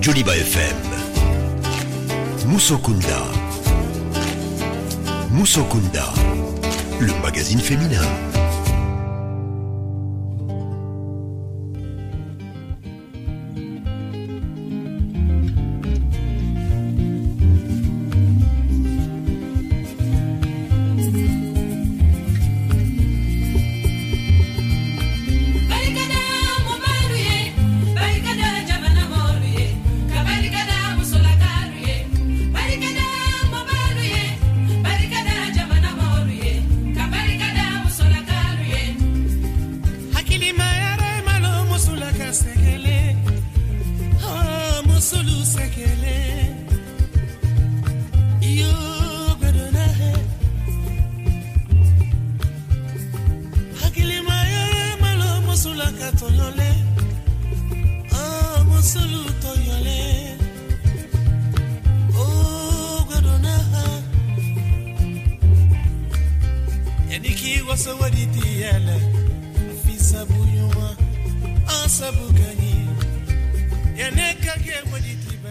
Joliba FM. Musokunda. Musokunda, le magazine féminin.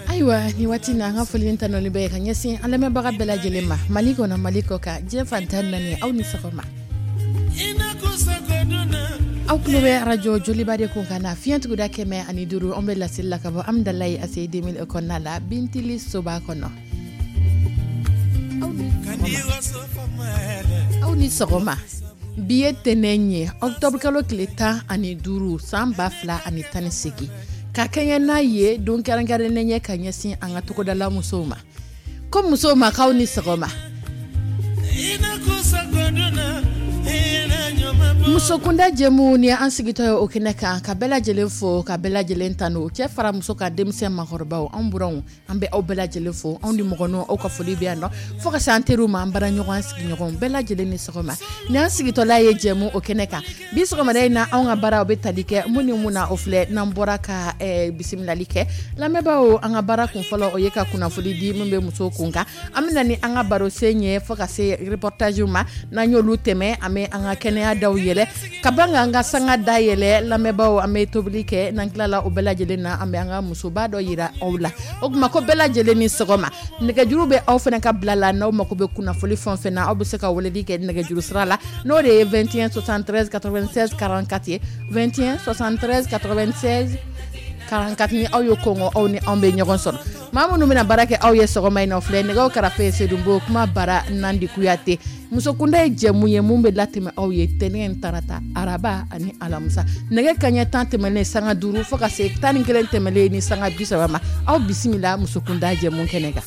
Ayiwa, ni waati na, an ka foli tanuni bɛ ka ɲɛsin an lamɛnbaga bɛɛ lajɛlen ma, Mali kɔnɔ, Mali kɔ kan, diɲɛ fan 14. Aw ni sɔgɔma. Aw tulo bɛ arajo Joliba de kun kan na, fiɲɛ tuguda 105. An bɛ laseli la ka bɔ Amidalayi ACI 2000 kɔnɔna la, Bintili soba kɔnɔ. Aw ni sɔgɔma. Bi ye tɛnɛn ye, octobre kalo tile 15, san 2018, ka kɛɲɛ n'a ye don kɛrɛnkɛrɛnnen ye ka ɲɛsin an ka togodala musow ma. Ko musow ma, k'aw ni sɔgɔma. Musokunda jɛmu ni an sigitɔ ye o kɛnɛ kan, ka bɛɛ lajɛlen fo, ka bɛɛ lajɛlen tanu, cɛ fara muso ka, denmisɛn, makɔrɔbaw, an buranw, an bɛ aw bɛɛ lajɛlen fo. Anw ni mɔgɔninw, aw ka foli bɛ yan nɔ, fo ka se an teriw ma, an bara ɲɔgɔn, sigiɲɔgɔn bɛɛ lajɛlen ni sɔgɔma. Ni an sigitɔla ye jɛmu o kɛnɛ kan bi sɔgɔmada in na, anw ka baara o bɛ tali kɛ mun ni mun na? O filɛ, n'an bɔra ka bisimilali kɛ lamɛnbaaw, an ka baara kun fɔlɔ, o ye ka kunnafoni di min bɛ muso kun kan. An bɛ na ni an ka barosen ye fo ka se reportage ma. N'an y'olu tɛmɛ, an bɛ an ka kɛnɛya daw yɛlɛ ka ban k'an ka sanga da yɛlɛ. Lamɛnbaaw, an bɛ tobili kɛ. N'an tilala o bɛɛ lajɛlen na, an bɛ an ka musoba dɔ yira aw la. O tuma, ko bɛɛ lajɛlen ni sɔgɔma. Nɛgɛjuru bɛ aw fana ka bila la. N'aw mako bɛ kunnafoni fɛn o fɛn na, aw bɛ se ka weleli kɛ nɛgɛjuru sira la, n'o de ye 21 73 96 44 ye, 21 73 96 44. Ni aw ye kɔngɔ, aw ni anw bɛ ɲɔgɔn sɔrɔ. Maa minnu bɛna baara kɛ aw ye sɔgɔma in na, filɛ nɛgɛw karafe ye Sedunbo, kuma bara Nandi Kuyate. Musokunda ye jɛmu ye mun bɛ latɛmɛ aw ye tɛnɛn, tarata, araba ani alamisa, nɛgɛ kaɲɛ 10 tɛmɛnen sanga 5 fo ka se 11 tɛmɛnen ni sanga 30 ma. Aw bisimila musokunda jɛmu kɛnɛ kan.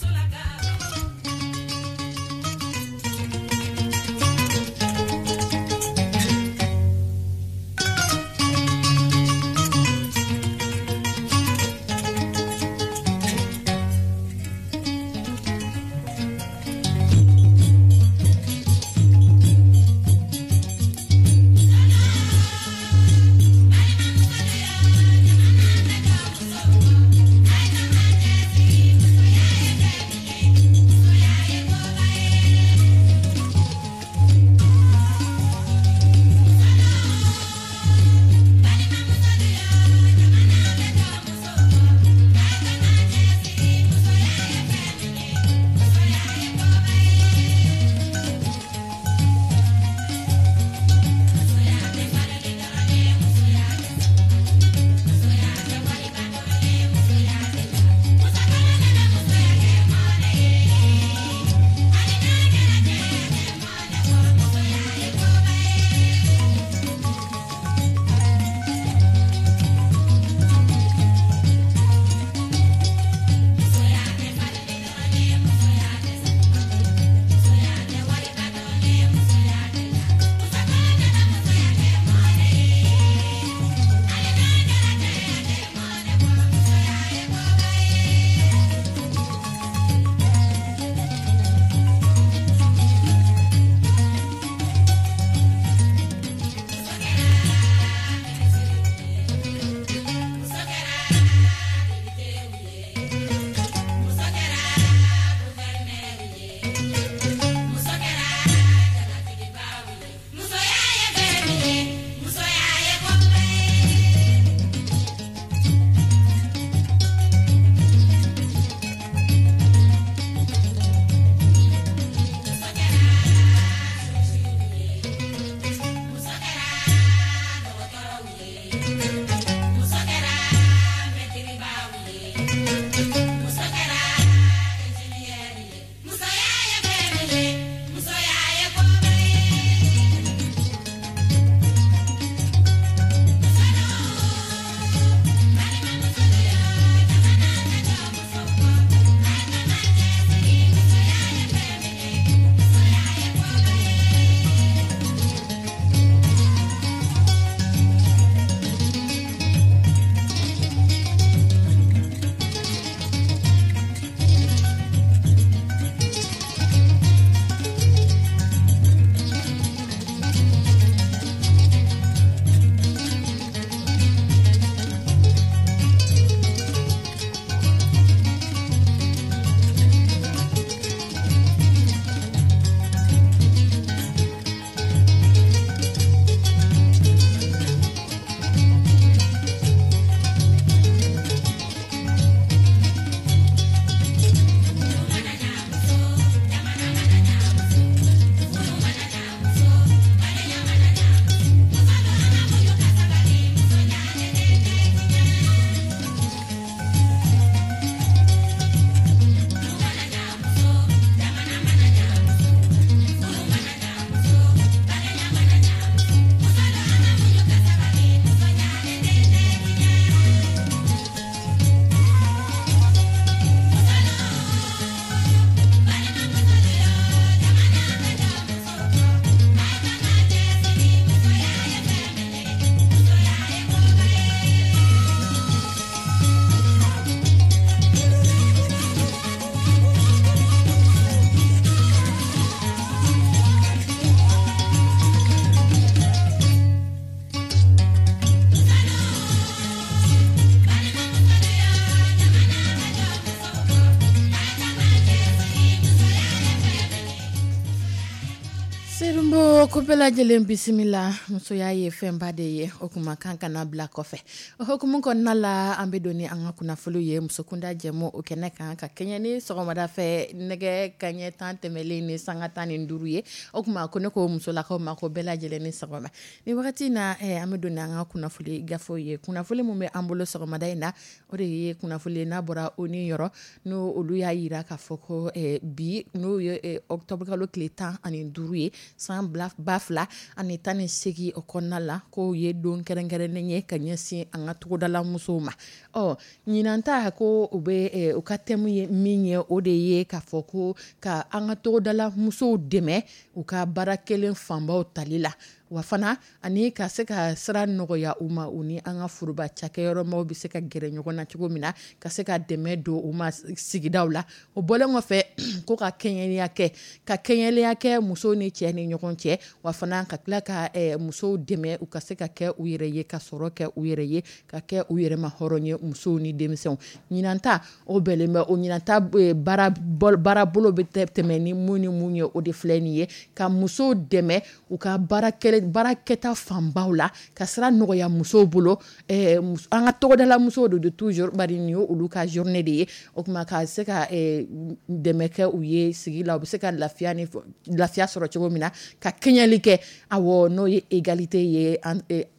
Ko bɛɛ lajɛlen bisimila. Musoya ye fɛnba de ye, o kuma kan kana bila kɔfɛ. O hukumu kɔnɔna la, an bɛ don ni an ka kunnafoni ye musokunda jɛmu o kɛnɛ kan, ka kɛɲɛ ni sɔgɔmada fɛ nɛgɛ kaɲɛ 10 tɛmɛlen ni sanga 15 ye. O kuma ko ne ko musolakaw ma ko bɛɛ lajɛlen ni sɔgɔma. Ni wagati in na, an bɛ don ni an ka kunnafoni gafew ye. Kunnafoni min bɛ an bolo sɔgɔmada in na, o de ye kunnafoni n'a bɔra ONU yɔrɔ, n'o olu y'a jira k'a fɔ ko bi n'o ye octobre kalo tile 15 ye san 2018 o kɔnɔna la, k'o ye don kɛrɛnkɛrɛnnen ye ka ɲɛsin an ka togodala musow ma. Ɔ ɲinan ta, ko u bɛ u ka thème ye min ye, o de ye k'a fɔ ko ka an ka togodala musow dɛmɛ u ka baara kelen fanbaw tali la, wa fana ani ka se ka sira nɔgɔya u ma, u ni an ka foroba cakɛyɔrɔmaw bɛ se ka gɛrɛ ɲɔgɔn na cogo min na, ka se ka dɛmɛ don u ma sigidaw la. O bɔlen kɔfɛ, ko ka kɛɲɛliya kɛ, ka kɛɲɛliya kɛ musow ni cɛ ni ɲɔgɔn cɛ, wa fana ka tila ka musow dɛmɛ u ka se ka kɛ u yɛrɛ ye, ka sɔrɔ kɛ u yɛrɛ ye, ka kɛ u yɛrɛ ma hɔrɔn ye, musow ni denmisɛnw. Ɲinan ta o bɛnnen bɛ o ɲinan ta baarabolo bɛ tɛmɛ ni mun ni mun ye, o de filɛ nin ye: ka musow dɛmɛ u ka baarakɛta fanbaw la, ka sira nɔgɔya musow bolo, an ka tɔgɔdala musow de toujours, bari nin ye olu ka journée de ye. O tuma ka se ka dɛmɛ kɛ u ye sigi la, u bɛ se ka lafiya ni lafiya sɔrɔ cogo min na, ka kɛɲɛli kɛ, awɔ, n'o ye égalité ye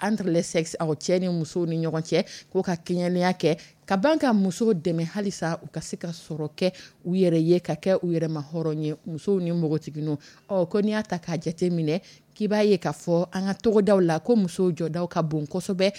entre les sexes, awɔ, cɛ ni musow ni ɲɔgɔn cɛ, ko ka kɛɲɛliya kɛ, ka ban ka musow dɛmɛ halisa u ka se ka sɔrɔ kɛ u yɛrɛ ye, ka kɛ u yɛrɛ ma hɔrɔn ye, musow ni npogotigininw. Ɔ ko n'i y'a ta k'a jate minɛ, k'i b'a ye k'a fɔ an ka togodaw la ko musow jɔdaw ka bon kosɛbɛ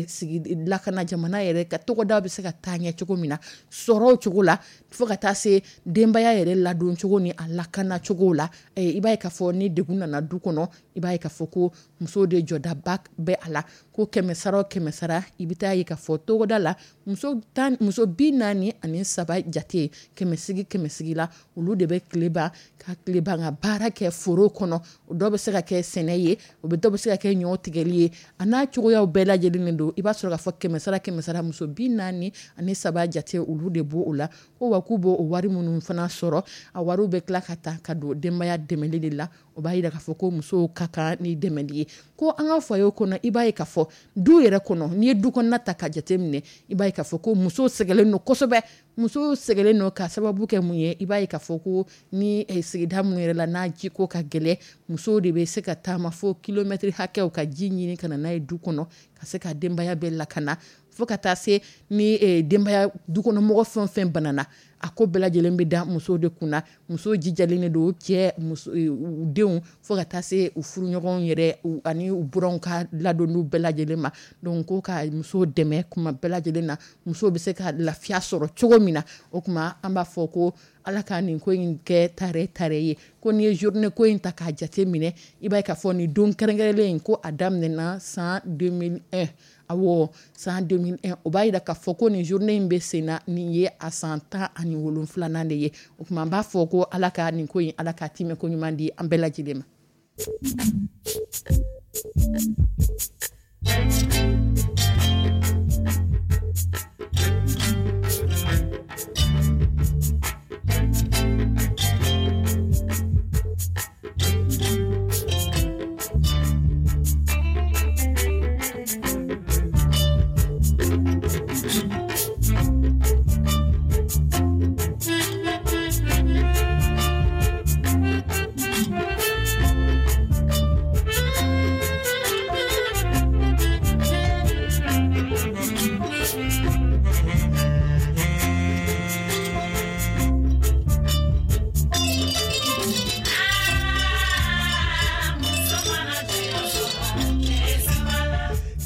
sigi lakana, jamana yɛrɛ ka togodaw bɛ se ka taa ɲɛ cogo min na, sɔrɔw cogo la, fo ka taa se denbaya yɛrɛ ladon cogo ni a lakana cogo la. I b'a ye k'a fɔ ni degun nana du kɔnɔ, i b'a ye k'a fɔ ko musow de jɔdaba bɛ a la. Ko kɛmɛ sara o kɛmɛ sara, i bɛ taa ye k'a fɔ togoda la, muso 10, muso 43 jate, kɛmɛsigi kɛmɛsigi la, olu de bɛ tile ban ka tile ban ka baara kɛ foro kɔnɔ. O dɔw bɛ se ka kɛ sɛnɛ ye, o bɛ dɔw bɛ se ka kɛ ɲɔ tigɛli ye, a n'a cogoyaw bɛɛ lajɛlen don. I b'a sɔrɔ k'a fɔ kɛmɛ sara kɛmɛ sara, muso 43 jate, olu de b'o o la. Ko wa k'u b'o o wari minnu fana sɔrɔ, a wariw bɛ tila ka ta ka don denbaya dɛmɛli de la. O b'a jira k'a fɔ ko musow ka kan ni dɛmɛli ye. Ko an ka foyer kɔnɔ, i b'a ye k'a fɔ du yɛrɛ kɔnɔ, n'i ye du kɔnɔna ta ka jate minɛ, i b'a ye k'a fɔ ko musow sɛgɛnnen don kosɛbɛ. Musow sɛgɛnnen don ka sababu kɛ mun ye? I b'a ye k'a fɔ ko ni sigida minnu yɛrɛ la, n'a jiko ka gɛlɛn, musow de bɛ se ka taama fo kilomɛtiri hakɛw ka ji ɲini ka na n'a ye du kɔnɔ, ka se ka denbaya bɛɛ lakana, fo ka taa se ni denbaya dukɔnɔmɔgɔ fɛn o fɛn banana, a ko bɛɛ lajɛlen bɛ da musow de kunna. Musow jijalen de don, cɛ, muso, u denw, fo ka taa se u furuɲɔgɔnw yɛrɛ ani u buranw ka ladonniw bɛɛ lajɛlen ma. Donc ko ka musow dɛmɛ kuma bɛɛ lajɛlen na, musow bɛ se ka lafiya sɔrɔ cogo min na. O tuma an b'a fɔ ko Ala ka nin ko in kɛ tare tare ye. Ko n'i ye journée ko in ta k'a jate minɛ, i b'a ye k'a fɔ nin don kɛrɛnkɛrɛnlen in, ko a daminɛna san 2001, awɔ, san 2001. O b'a jira k'a fɔ ko nin journée in bɛ sen na, nin ye a san 17nan de ye. O tuma an b'a fɔ ko Ala ka nin ko in, Ala ka timɛ ko ɲuman di an bɛɛ lajɛlen ma.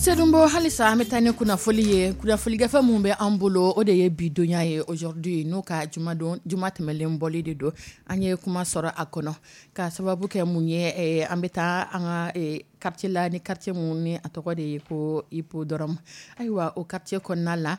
Sedonbɔ halisa, an bɛ taa ni kunnafoli ye. Kunnafoni gafe min bɛ an bolo, o de ye bidonya ye, aujourd'hui, n'o ka jumadon juma tɛmɛlen bɔli de don. An ye kuma sɔrɔ a kɔnɔ ka sababu kɛ mun ye? An bɛ taa an ka quartier la, ni quartier mun ni a tɔgɔ de ye ko Hippodrome. Ayiwa, o quartier kɔnɔna la,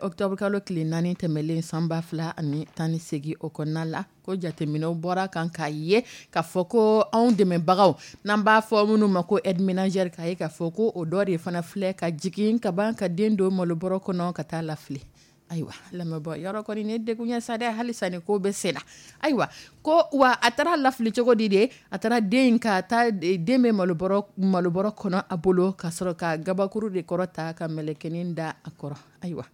octobre kalo tile 4 tɛmɛlen san 2018 o kɔnɔna la, ko jateminɛw bɔra kan k'a ye k'a fɔ ko anw dɛmɛbagaw, n'an b'a fɔ minnu ma ko aide ménagère, k'a ye k'a fɔ ko o dɔ de fana filɛ ka jigin ka ban ka den don malobɔrɔ kɔnɔ ka taa lafili. Ayiwa, lamɛnbɔ yɔrɔ kɔni ne degun ye sa dɛ, halisa ni ko bɛ sen na. Ayiwa, ko wa a taara lafili cogo di de? A taara den ka taa den bɛ malobɔrɔ kɔnɔ a bolo, ka sɔrɔ ka gabakuru de kɔrɔ ta ka mɛlɛkɛnin da a kɔrɔ. Ayiwa,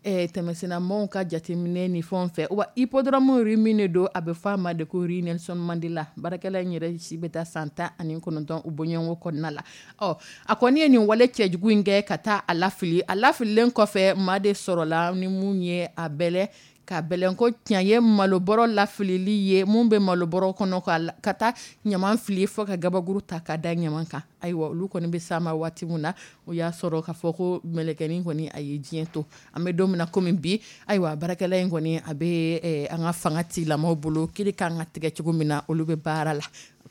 tɛmɛsennamaw ka jateminɛ ni fɛnw fɛ, wa hippodrome rue min de don, a bɛ fɔ a ma de ko rue Nelson Mandela. Baarakɛla in yɛrɛ si bɛ taa san 19 u bɔɲɔgɔnko kɔnɔna la. Ɔ, a kɔni ye nin wale cɛjugu in kɛ ka taa a lafili. A lafililen kɔfɛ, maa de sɔrɔla ni mun ye a bɛlɛ ka bɛlɛn ko tiɲɛ ye malobɔrɔ lafilili ye, mun bɛ malobɔrɔ kɔnɔ ka taa ɲaman fili fo ka gabakuru ta ka da ɲaman kan. Ayiwa, olu kɔni bɛ s'a ma waati min na, o y'a sɔrɔ k'a fɔ ko mɛlɛkɛnin kɔni a ye diɲɛ to. An bɛ don min na komi bi, ayiwa, baarakɛla in kɔni a bɛ an ka fanga tigilamɔgɔw bolo, kiri kan ka tigɛ cogo min na, olu bɛ baara la.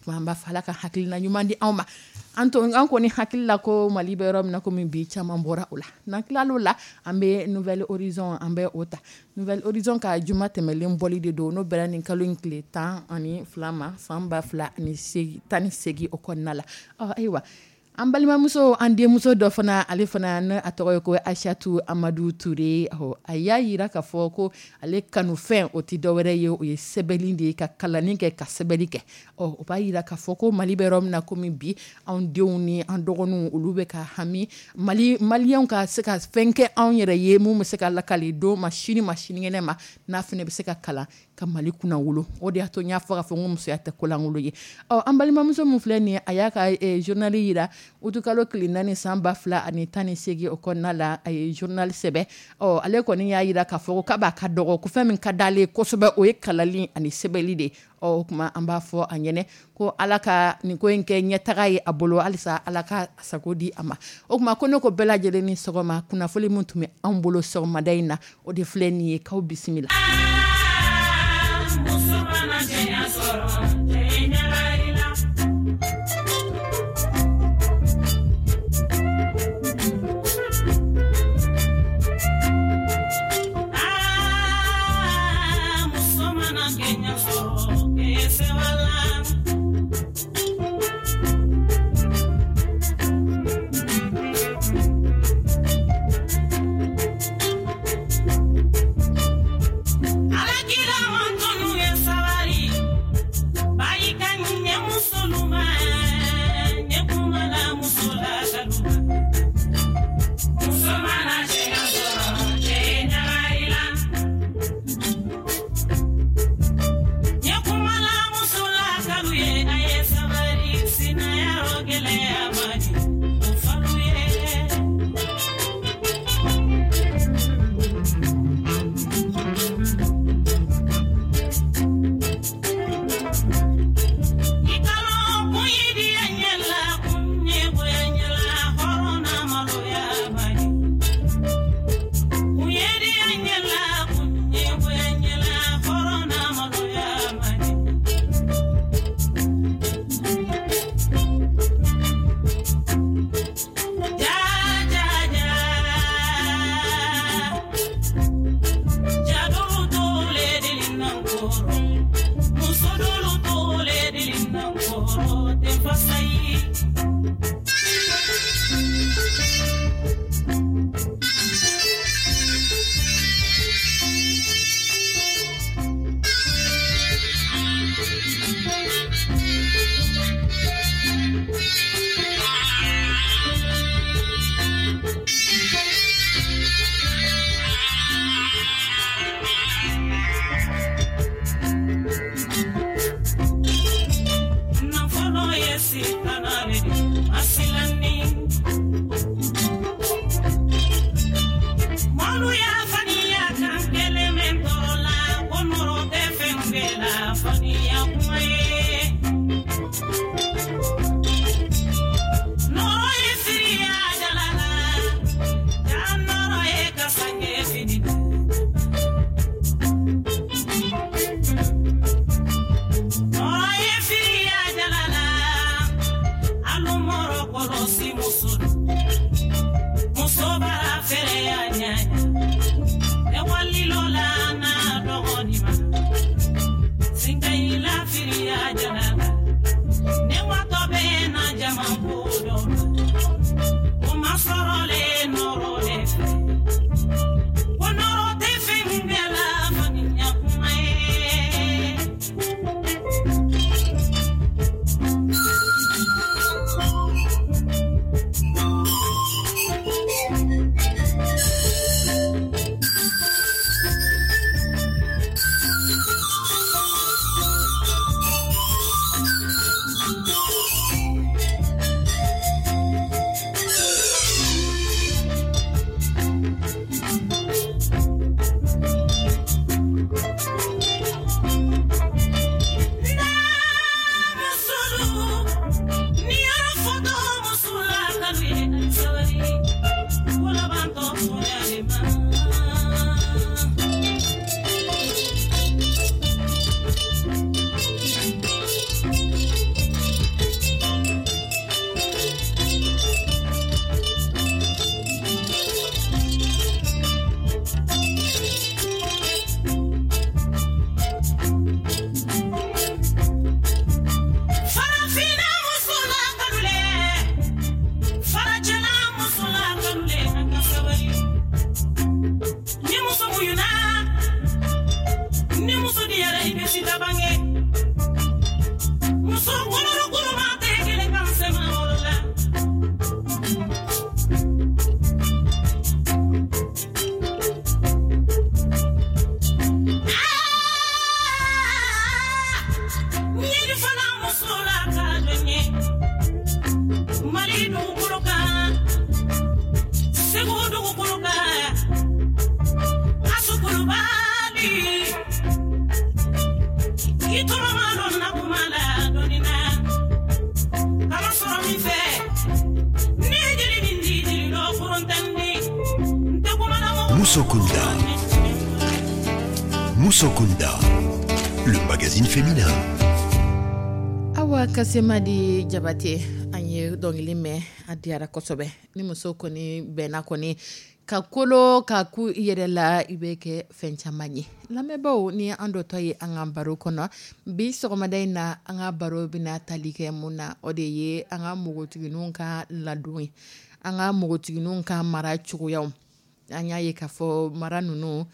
An b'a fɔ Ala ka hakilina ɲuman di anw ma. An to an kɔni hakili la ko Mali bɛ yɔrɔ min na komi bi, caman bɔra o la. N'an tilal'o la, an bɛ Nouvel Horizon, an bɛ o ta. Nouvel Horizon ka juma tɛmɛlen bɔli de don, n'o bɛra nin kalo in tile 12 ma, san 2018 o kɔnɔna la. Ɔ, ayiwa, an balimamuso, an denmuso dɔ fana, ale fana ne a tɔgɔ ye ko Aïchatou Amadou Touré. A y'a yira k'a fɔ ko ale kanufɛn o tɛ dɔwɛrɛ ye, o ye sɛbɛnni de ye, ka kalanni kɛ, ka sɛbɛnni kɛ. Ɔ, o b'a yira k'a fɔ ko Mali bɛ yɔrɔ min na komi bi, anw denw ni an dɔgɔninw, olu bɛ ka hami Mali maliyɛnw ka se ka fɛn kɛ anw yɛrɛ ye, mun bɛ se ka lakali don ma, sini ma, sinikɛnɛ ma, n'a fana bɛ se ka kalan ka Mali kunnawolo. O de y'a to n y'a fɔ k'a fɔ n ko musoya tɛ kolankolon ye. Ɔ, an balimamuso min filɛ nin ye, a y'a ka journal yira utukalo tile 4 san 2018 o kɔnɔna la, a ye journal sɛbɛn. Ɔ, ale kɔni y'a yira k'a fɔ k'a b'a ka dɔgɔ ko fɛn min ka d'ale ye kosɛbɛ, o ye kalali ani sɛbɛnni de ye. Ɔ, o tuma an b'a fɔ a ɲɛnɛ ko Ala ka nin ko in kɛ ɲɛtaga ye a bolo, halisa Ala ka sago di a ma. O tuma ko ne ko bɛɛ lajɛlen ni sɔgɔma. Kunnafoni min tun bɛ anw bolo sɔgɔmada in na, o de filɛ nin ye. K'aw bisimila. Muɲuna ni muso diyara, i bɛ sida bange. Muso kolorukuruma tɛ kelen kan sema wolo la. Ɲɛji fana muso la ka jɔn ye Mali dugukolo kan, Segu dugukolo kan, Asukulubali i tɔgɔ ma dɔn na kuma la dɔɔnin na kama sɔrɔ min fɛ ne ye jeli min di jeli dɔ forontɛni n tɛ kuma na mɔgɔ. Musokunda. Musokunda, le magazine féminin. Awa Kasemadi Jabate, an ye dɔnkili mɛn, a diyara kosɛbɛ. Ni muso kɔni bɛnna kɔni ka kolo ka ku i yɛrɛ la, i bɛ kɛ fɛn caman ye. Lamɛnbaaw, ni an dɔtɔ ye an ka baro kɔnɔ bi sɔgɔmada in na, an ka baro bɛna tali kɛ mun na? O de ye an ka npogotigininw ka ladon ye, an ka npogotigininw ka mara cogoyaw. An y'a ye k'a fɔ mara ninnu,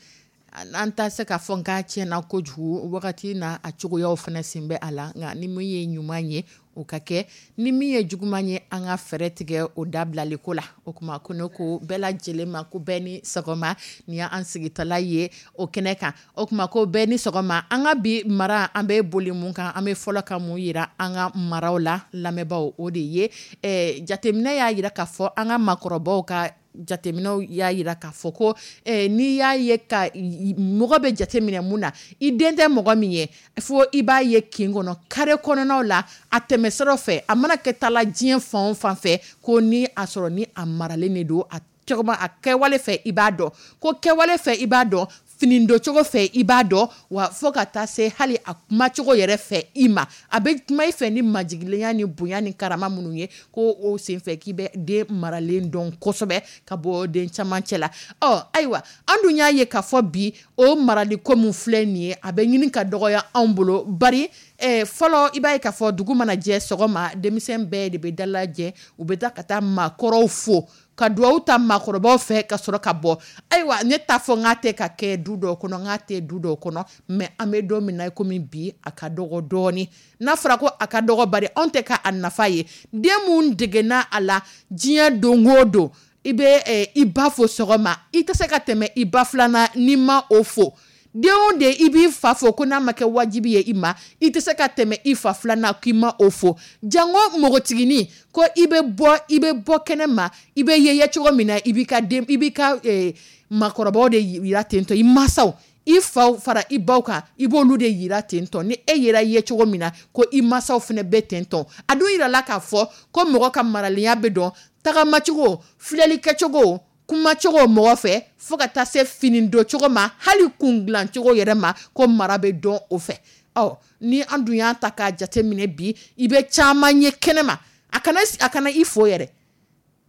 an t'a se k'a fɔ n k'a tiɲɛna kojugu wagati na, a cogoyaw fana sen bɛ a la. Nka ni min ye ɲuman ye, o ka kɛ, ni min ye juguman ye, an ka fɛɛrɛ tigɛ o dabilali ko la. O tuma ko ne ko bɛɛ lajɛlen ma ko bɛɛ ni sɔgɔma. Nin y'an sigitala ye o kɛnɛ kan. O tuma ko bɛɛ ni sɔgɔma. An ka bi mara, an bɛ boli mun kan, an bɛ fɔlɔ ka mun yira an ka maraw la, lamɛnbaaw? O de ye jateminɛ y'a yira k'a fɔ, an ka maakɔrɔbaw ka jateminɛw y'a yira k'a fɔ ko n'i y'a ye ka mɔgɔ bɛ jateminɛ mun na, i den tɛ mɔgɔ min ye, fo i b'a ye kin kɔnɔ, carré kɔnɔnaw la, a tɛmɛsiraw fɛ, a mana kɛ taala diɲɛ fan o fan fɛ, ko ni a sɔrɔ ni a maralen de don, a cogo a kɛwale fɛ i b'a dɔn, ko kɛwale fɛ i b'a dɔn, fini doncogo fɛ i b'a dɔn, wa fo ka taa se hali a kumacogo yɛrɛ fɛ i ma, a bɛ kuma i fɛ ni majigilenya ni bonya ni karama minnu ye, ko o senfɛ k'i bɛ den maralen dɔn kosɛbɛ ka bɔ den caman cɛ la. Ɔ ayiwa, an dun y'a ye k'a fɔ bi, o marali ko min filɛ nin ye, a bɛ ɲini ka dɔgɔya anw bolo. Bari fɔlɔ, i b'a ye k'a fɔ dugu mana jɛ sɔgɔma, denmisɛn bɛɛ de bɛ dalajɛ, u bɛ taa ka taa maakɔrɔw fo ka duwawu ta maakɔrɔbaw fɛ ka sɔrɔ ka bɔ. Ayiwa, ne t'a fɔ n k'a tɛ ka kɛ du dɔw kɔnɔ, n k'a tɛ du dɔw kɔnɔ, mais an bɛ don min na komi bi, a ka dɔgɔ dɔɔni. N'a fɔra ko a ka dɔgɔ, bari anw tɛ ka a nafa ye. Den mun degena a la diɲɛ don o don, i bɛ i ba fo sɔgɔma, i tɛ se ka tɛmɛ i ba filanan n'i ma o fo. Den o den, i b'i fa fo, ko n'a ma kɛ wajibi ye i ma, i tɛ se ka tɛmɛ i fa filanan k'i ma o fo. Jango npogotiginin, ko i bɛ bɔ, i bɛ bɔ kɛnɛ ma, i bɛ ye cogo min na, i b'i ka den, i b'i ka maakɔrɔbaw de yira ten tɔ, i mansaw, i faw fara i baw kan, i b'olu de yira ten tɔ. Ni e yera ye cogo min na, ko i mansaw fana bɛ ten tɔ. A dun yirala k'a fɔ ko mɔgɔ ka maralenya bɛ dɔn tagamacogo, filɛli kɛcogo, kumacogo mɔgɔ fɛ, fo ka taa se fini don cogo ma, hali kun dilancogo yɛrɛ ma, ko mara bɛ dɔn o fɛ. Ɔ ni an dun y'a ta k'a jateminɛ bi, i bɛ caman ye kɛnɛma, a kana i fo yɛrɛ.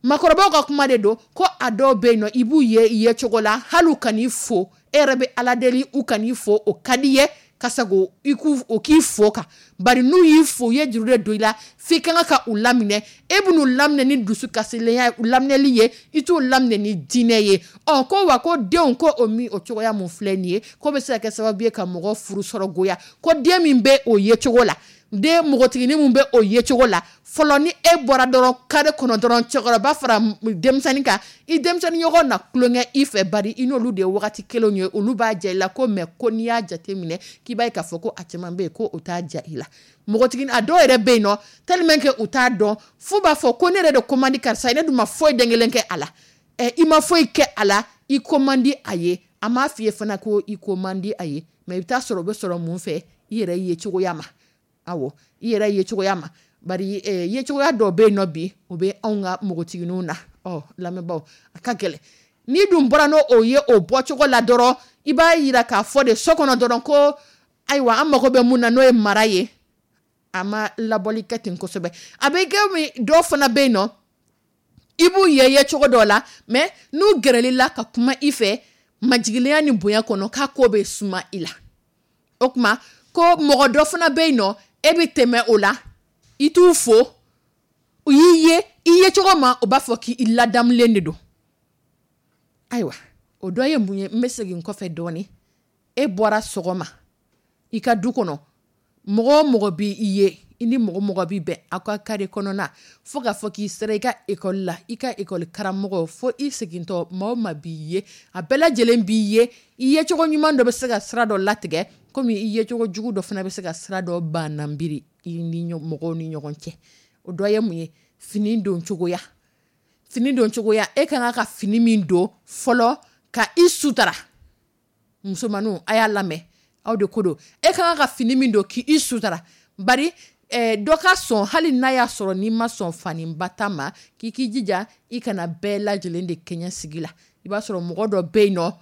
Maakɔrɔbaw ka kuma de don ko a dɔw bɛ yen nɔ, i b'u ye ye cogo la, hali u kan'i fo, e yɛrɛ bɛ Ala deli u kan'i fo, o ka di ye ka sago i k'u o k'i fo kan. Bari n'u y'i fo, u ye juru de don i la f'i ka kan ka u laminɛ. E bɛn'u laminɛ ni dusu kasilennya laminɛli ye, i t'u laminɛ ni diinɛ ye. Ɔ ko wa ko denw ko o min o cogoya mun filɛ nin ye, ko bɛ se ka kɛ sababu ye ka mɔgɔ furu sɔrɔ goya. Ko den min bɛ o ye cogo la, den npogotiginin min bɛ o ye cogo la, fɔlɔ ni e bɔra dɔrɔn carré kɔnɔ dɔrɔn, cɛkɔrɔba fara denmisɛnnin kan, i denmisɛnnin ɲɔgɔn na tulonkɛ i fɛ, bari i n'olu de ye wagati kelenw ye, olu b'a ja i la ko. Mais ko n'i y'a jateminɛ k'i b'a ye k'a fɔ ko a caman bɛ yen, ko o t'a ja i la. Npogotiginin a dɔw yɛrɛ bɛ yen nɔ, tellement que u t'a dɔn, f'u b'a fɔ ko ne yɛrɛ de ko man di karisa ye, ne dun ma foyi den kelen kɛ a la. Ɛ, i ma foyi kɛ a la, i ko man di a ye, a m'a f'i ye fana ko i ko man di a ye. Mais i bɛ taa sɔrɔ o bɛ sɔrɔ mun fɛ? I yɛrɛ ye cogoya ma. Awɔ, i yɛrɛ ye cogoya ma. Bari ye cogoya dɔw bɛ yen nɔ bi, o bɛ anw ka npogotigininw na. Ɔ lamɛnbaaw, a ka gɛlɛn. N'i dun bɔra n'o o ye o bɔcogo la dɔrɔn, i b'a yira k'a fɔ de so kɔnɔ dɔrɔn ko ayiwa, an mago bɛ mun na, n'o ye mara ye, a ma labɔli kɛ ten kosɛbɛ. A bɛ kɛ min, dɔw fana bɛ yen nɔ, i b'u ye ye cogo dɔw la, mais n'u gɛrɛl'i la ka kuma i fɛ majigilenya ni bonya kɔnɔ, k'a ko bɛ suma i la. O tuma ko mɔgɔ dɔ fana bɛ yen nɔ, e bɛ tɛmɛ o la, i t'u fo, u y'i ye i ye cogo ma, u b'a fɔ k'i ladamulen de don. Ayiwa, O dɔ ye mun ye? N bɛ segin kɔfɛ dɔɔnin. E bɔra sɔgɔma i ka du kɔnɔ, mɔgɔ o mɔgɔ bɛ i ye, i ni mɔgɔ mɔgɔ bɛ bɛn aw ka carré kɔnɔna, fo k'a fɔ k'i sera i ka école la, i ka école karamɔgɔ, fo i segintɔ, maa o maa b'i ye, a bɛɛ lajɛlen b'i ye. I yecogo ɲuman dɔ bɛ se ka sira dɔ latigɛ, komi i yecogo jugu dɔ fana bɛ se ka sira dɔ bannabiri i ni mɔgɔw ni ɲɔgɔn cɛ. O dɔ ye mun ye? Fini don cogoya, fini don cogoya. E ka kan ka fini min don fɔlɔ ka i sutara, musomaninw, a y'a lamɛn, aw de ko don. E ka kan ka fini min don k'i sutara, bari dɔ ka sɔn, hali n'a y'a sɔrɔ n'i ma sɔn faniba ta ma, k'i k'i jija i kana bɛɛ lajɛlen de kɛɲɛ sigi la. I b'a sɔrɔ mɔgɔ dɔ bɛ yen nɔ,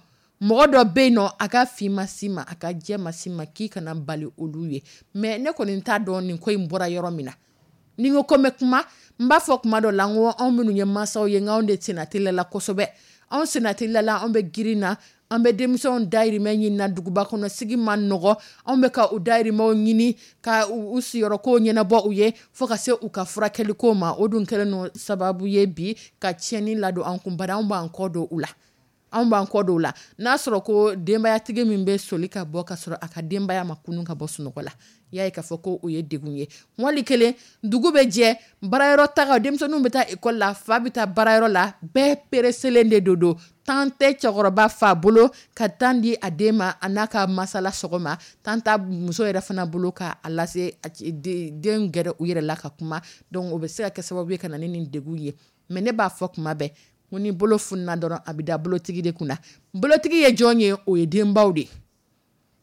mɔgɔ dɔ bɛ yen nɔ, a ka fin ma s'i ma, a ka jɛ ma s'i ma, k'i kana bali olu ye. Mais ne kɔni t'a dɔn nin ko in bɔra yɔrɔ min na. Ni n ko ko n bɛ kuma, n b'a fɔ kuma dɔ la, n ko anw minnu ye mansaw ye, n k'anw de senna teliya la kosɛbɛ. Anw senna teliya la, anw bɛ girin na, an bɛ denmisɛnw dayirimɛ ɲini na. Duguba kɔnɔ sigi ma nɔgɔ, anw bɛ ka u dayirimɛw ɲini ka u siyɔrɔko ɲɛnabɔ u ye, fo ka se u ka furakɛliko ma. O dun kɛlen don sababu ye bi ka tiɲɛni ladon an kun, bari anw b'an kɔ don u la, anw b'an kɔ don u la. N'a sɔrɔ ko denbayatigi min bɛ soli ka bɔ ka sɔrɔ a ka denbaya ma kunun ka bɔ sunɔgɔ la, i y'a ye k'a fɔ ko o ye degun ye. Wali kelen, dugu bɛ jɛ, baarayɔrɔ taga, denmisɛnninw bɛ taa ekɔli la, fa bɛ taa baarayɔrɔ la, bɛɛ pereselen de don. Temps tɛ cɛkɔrɔba fa bolo ka temps di a den ma, a n'a ka masala sɔgɔma. Temps t'a muso yɛrɛ fana bolo k'a lase den gɛrɛ u yɛrɛ la ka kuma. Donc o bɛ se ka kɛ sababu ye ka na ni nin degun ye. Mais ne b'a fɔ kuma bɛɛ ko ni bolo fununa dɔrɔn, a bɛ da bolotigi de kunna. Bolotigi ye jɔn ye? O ye denbaw de ye,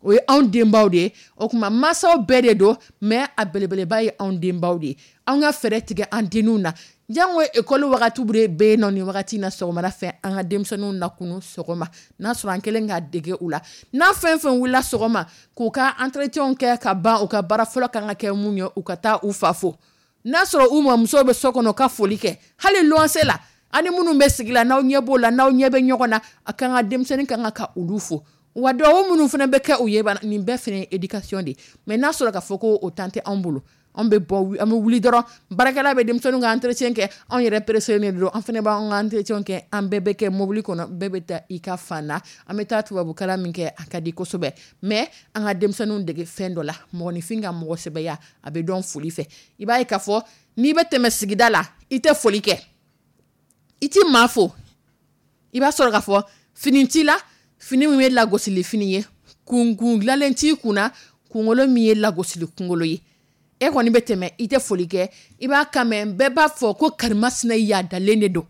o ye anw denbaw de ye. O tuma mansaw bɛɛ de don, mais a belebeleba ye anw denbaw de ye. An ka fɛɛrɛ tigɛ an denninw na. Jango ekɔli wagati bɛ yen nɔ, nin wagati in na, sɔgɔmada fɛ, an ka denmisɛnninw lakunu sɔgɔma, n'a sɔrɔ an kɛlen k'a dege u la, n'a fɛn fɛn wulila sɔgɔma k'u ka entretien kɛ ka ban, u ka baara fɔlɔ kan ka kɛ mun ye? U ka taa u fa fo. N'a sɔrɔ u mamuso bɛ so kɔnɔ, ka foli kɛ. Hali luwanse la, ani minnu bɛ sigi la, n'aw ɲɛ b'o la, n'aw ɲɛ bɛ ɲɔgɔn na, a kan ka denmisɛnnin kan ka olu fo. Wa duwawu minnu fana bɛ kɛ u ye, nin bɛɛ fana ye éducation de ye. Mais n'a sɔrɔ k'a fɔ ko o temps tɛ anw bolo, anw bɛ bɔ, an bɛ wuli dɔrɔn, baarakɛla bɛ denmisɛnninw ka entretien kɛ, anw yɛrɛ pressé de don, an fana b'an ka entretien kɛ, an bɛɛ bɛ kɛ mobili kɔnɔ, bɛɛ bɛ taa i ka fan na. An bɛ taa tubabukalan min kɛ, a ka di kosɛbɛ, mais an ka denmisɛnninw dege fɛn dɔ la. Mɔgɔninfin ka mɔgɔ sɛbɛya, a bɛ dɔn foli fɛ. I b'a ye k'a fɔ n'i bɛ tɛmɛ sigida la, i tɛ foli kɛ, i ti maa fo, i b'a sɔrɔ k'a fɔ fini t'i la, fini min ye lagosili fini ye, kunkun dilanlen t'i kunna, kunkolo min ye lagosili kunkolo ye, e kɔni bɛ tɛmɛ, i tɛ foli kɛ. I b'a kan mɛn, bɛɛ b'a fɔ ko karimasina yadalen de don.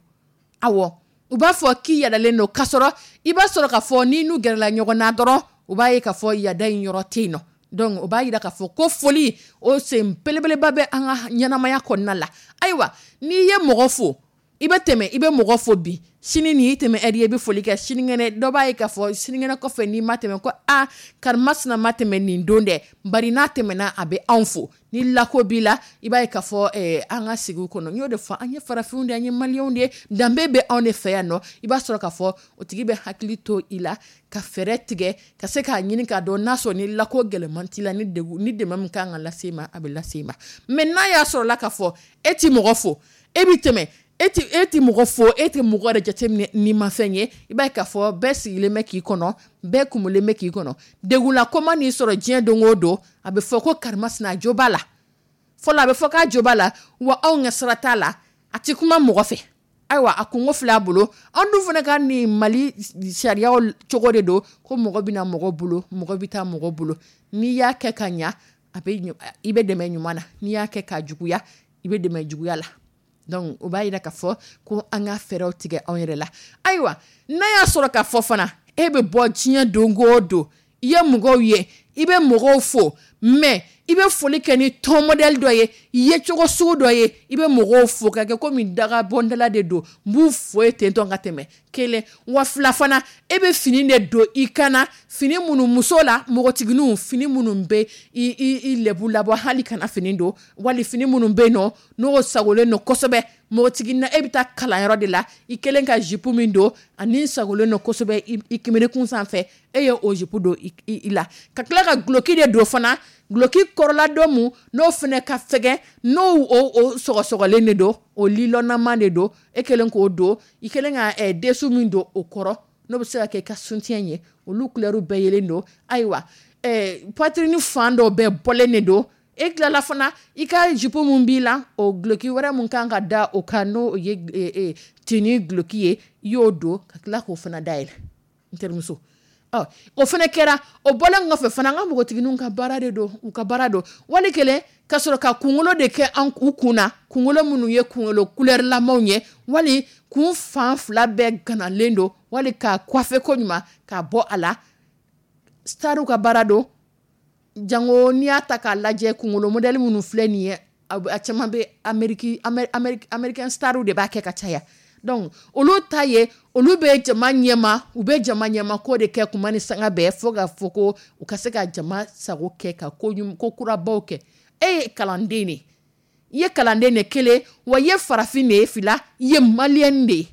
Awɔ, u b'a fɔ k'i yadalen don, k'a sɔrɔ i b'a sɔrɔ k'a fɔ n'i n'u gɛrɛla ɲɔgɔn na dɔrɔn, u b'a ye k'a fɔ yada in yɔrɔ tɛ yen nɔ. Donc o b'a yira k'a fɔ ko foli, o sen belebeleba bɛ an ka ɲɛnamaya kɔnɔna la. Ayiwa, n'i ye mɔgɔ fo, i bɛ tɛmɛ, i bɛ mɔgɔ fo bi, sini nin y'i tɛmɛ ɛri ye, i bɛ foli kɛ, sinikɛnɛ dɔ b'a ye k'a fɔ sinikɛnɛ kɔfɛ n'i ma tɛmɛ, ko aa, karimasina ma tɛmɛ nin don dɛ, bari n'a tɛmɛna, a bɛ anw fo. Ni lako b'i la, i b'a ye k'a fɔ an ka sigiw kɔnɔ, n y'o de fɔ, an ye farafinw de ye, an ye maliyɛnw de ye, danbe bɛ anw de fɛ yan nɔ. I b'a sɔrɔ k'a fɔ o tigi bɛ hakili to i la ka fɛɛrɛ tigɛ ka se k'a ɲini k'a dɔn n'a sɔrɔ ni lako gɛlɛman t'i la, ni degun ni dɛmɛ min kan ka lase i ma, a bɛ lase i ma. Mais n'a y'a sɔrɔ la k'a fɔ e ti mɔgɔ fo, e bɛ tɛmɛ, e ti mɔgɔ fo, e tɛ mɔgɔ yɛrɛ jateminɛ n'i ma fɛn ye, i b'a ye k'a fɔ bɛɛ sigilen bɛ k'i kɔnɔ, bɛɛ kumulen bɛ k'i kɔnɔ. Degunla ko ma n'i sɔrɔ diɲɛ don o don, a bɛ fɔ ko karimasina a jo b'a la. Fɔlɔ, a bɛ fɔ k'a jo b'a la wa, anw ka sira t'a la, a ti kuma mɔgɔ fɛ. Ayiwa, a kungo filɛ a bolo. An dun fana ka nin Mali sariyaw cogo de don ko mɔgɔ bɛ na mɔgɔ bolo, mɔgɔ bɛ taa mɔgɔ bolo. N'i y'a kɛ ka ɲa, a bɛ i bɛ dɛmɛ ɲuman na, n'i y'a kɛ ka juguya, i bɛ dɛmɛ juguya la. Donc o b'a yira k'a fɔ ko an ka fɛɛrɛw tigɛ anw yɛrɛ la. Ayiwa, n'a y'a sɔrɔ k'a fɔ fana e bɛ bɔ diɲɛ don o don, i ye mɔgɔw ye, i bɛ mɔgɔw fo, mais i bɛ foli kɛ ni ton modèle dɔ ye, yecogo sugu dɔ ye, i bɛ mɔgɔw fo ka kɛ komi daga bɔndala de don, n b'u fo ye ten tɔ ka tɛmɛ kelen wa. Fila fana, e bɛ fini de don i kana fini minnu, muso la npogotigininw, fini minnu bɛ i lɛbu labɔ, hali kana fini don, wali fini minnu bɛ yen nɔ, n'o sagolen don kosɛbɛ. Npogotiginin na, e bɛ taa kalanyɔrɔ de la, i kɛlen ka jupe min don ani sagolen don kosɛbɛ i kimirikun sanfɛ, e ye o jupe don i la, ka tila ka duloki de don fana, duloki kɔrɔla dɔ mun n'o fana ka fɛgɛn, n'o o sɔgɔsɔgɔlen de don, o lilɔnnama de don, e kɛlen k'o don, i kɛlen ka dessous min don o kɔrɔ. N'o bɛ se ka kɛ i ka soutien ye, olu couleur bɛɛ yelen don. Ayiwa, poitrine fan dɔw bɛɛ bɔlen de don. E tilala fana, i ka jupe mun b'i la, o duloki wɛrɛ mun kan ka da o kan, n'o ye tenue duloki ye, i y'o don ka tila k'o fana dayɛlɛ, n terimuso. Ɔ, o fana kɛra. O bɔlen kɔfɛ fana, an ka npogotigininw ka baara de don, u ka baara don. Wali kelen ka sɔrɔ ka kunkolo de kɛ an u kun na, kunkolo minnu ye kunkolo couleur lamaw ye, wali kun fan fila bɛɛ ganalen don, wali ka coiffer ko ɲuman ka bɔ a la. Starw ka baara don. Jango n'i y'a ta k'a lajɛ, kunkolo modèle minnu filɛ nin ye, a caman bɛ Amérique, américain starw de b'a kɛ ka caya. Donc olu ta ye, olu bɛ jama ɲɛma, u bɛ jama ɲɛma ko de kɛ kuma ni sanga bɛɛ, fo ka fɔ ko u ka se ka jama sago kɛ, ka ko kurabaw kɛ. E ye kalanden de, i ye kalanden de kelen wa, i ye farafin de ye fila, i ye maliyɛn de ye.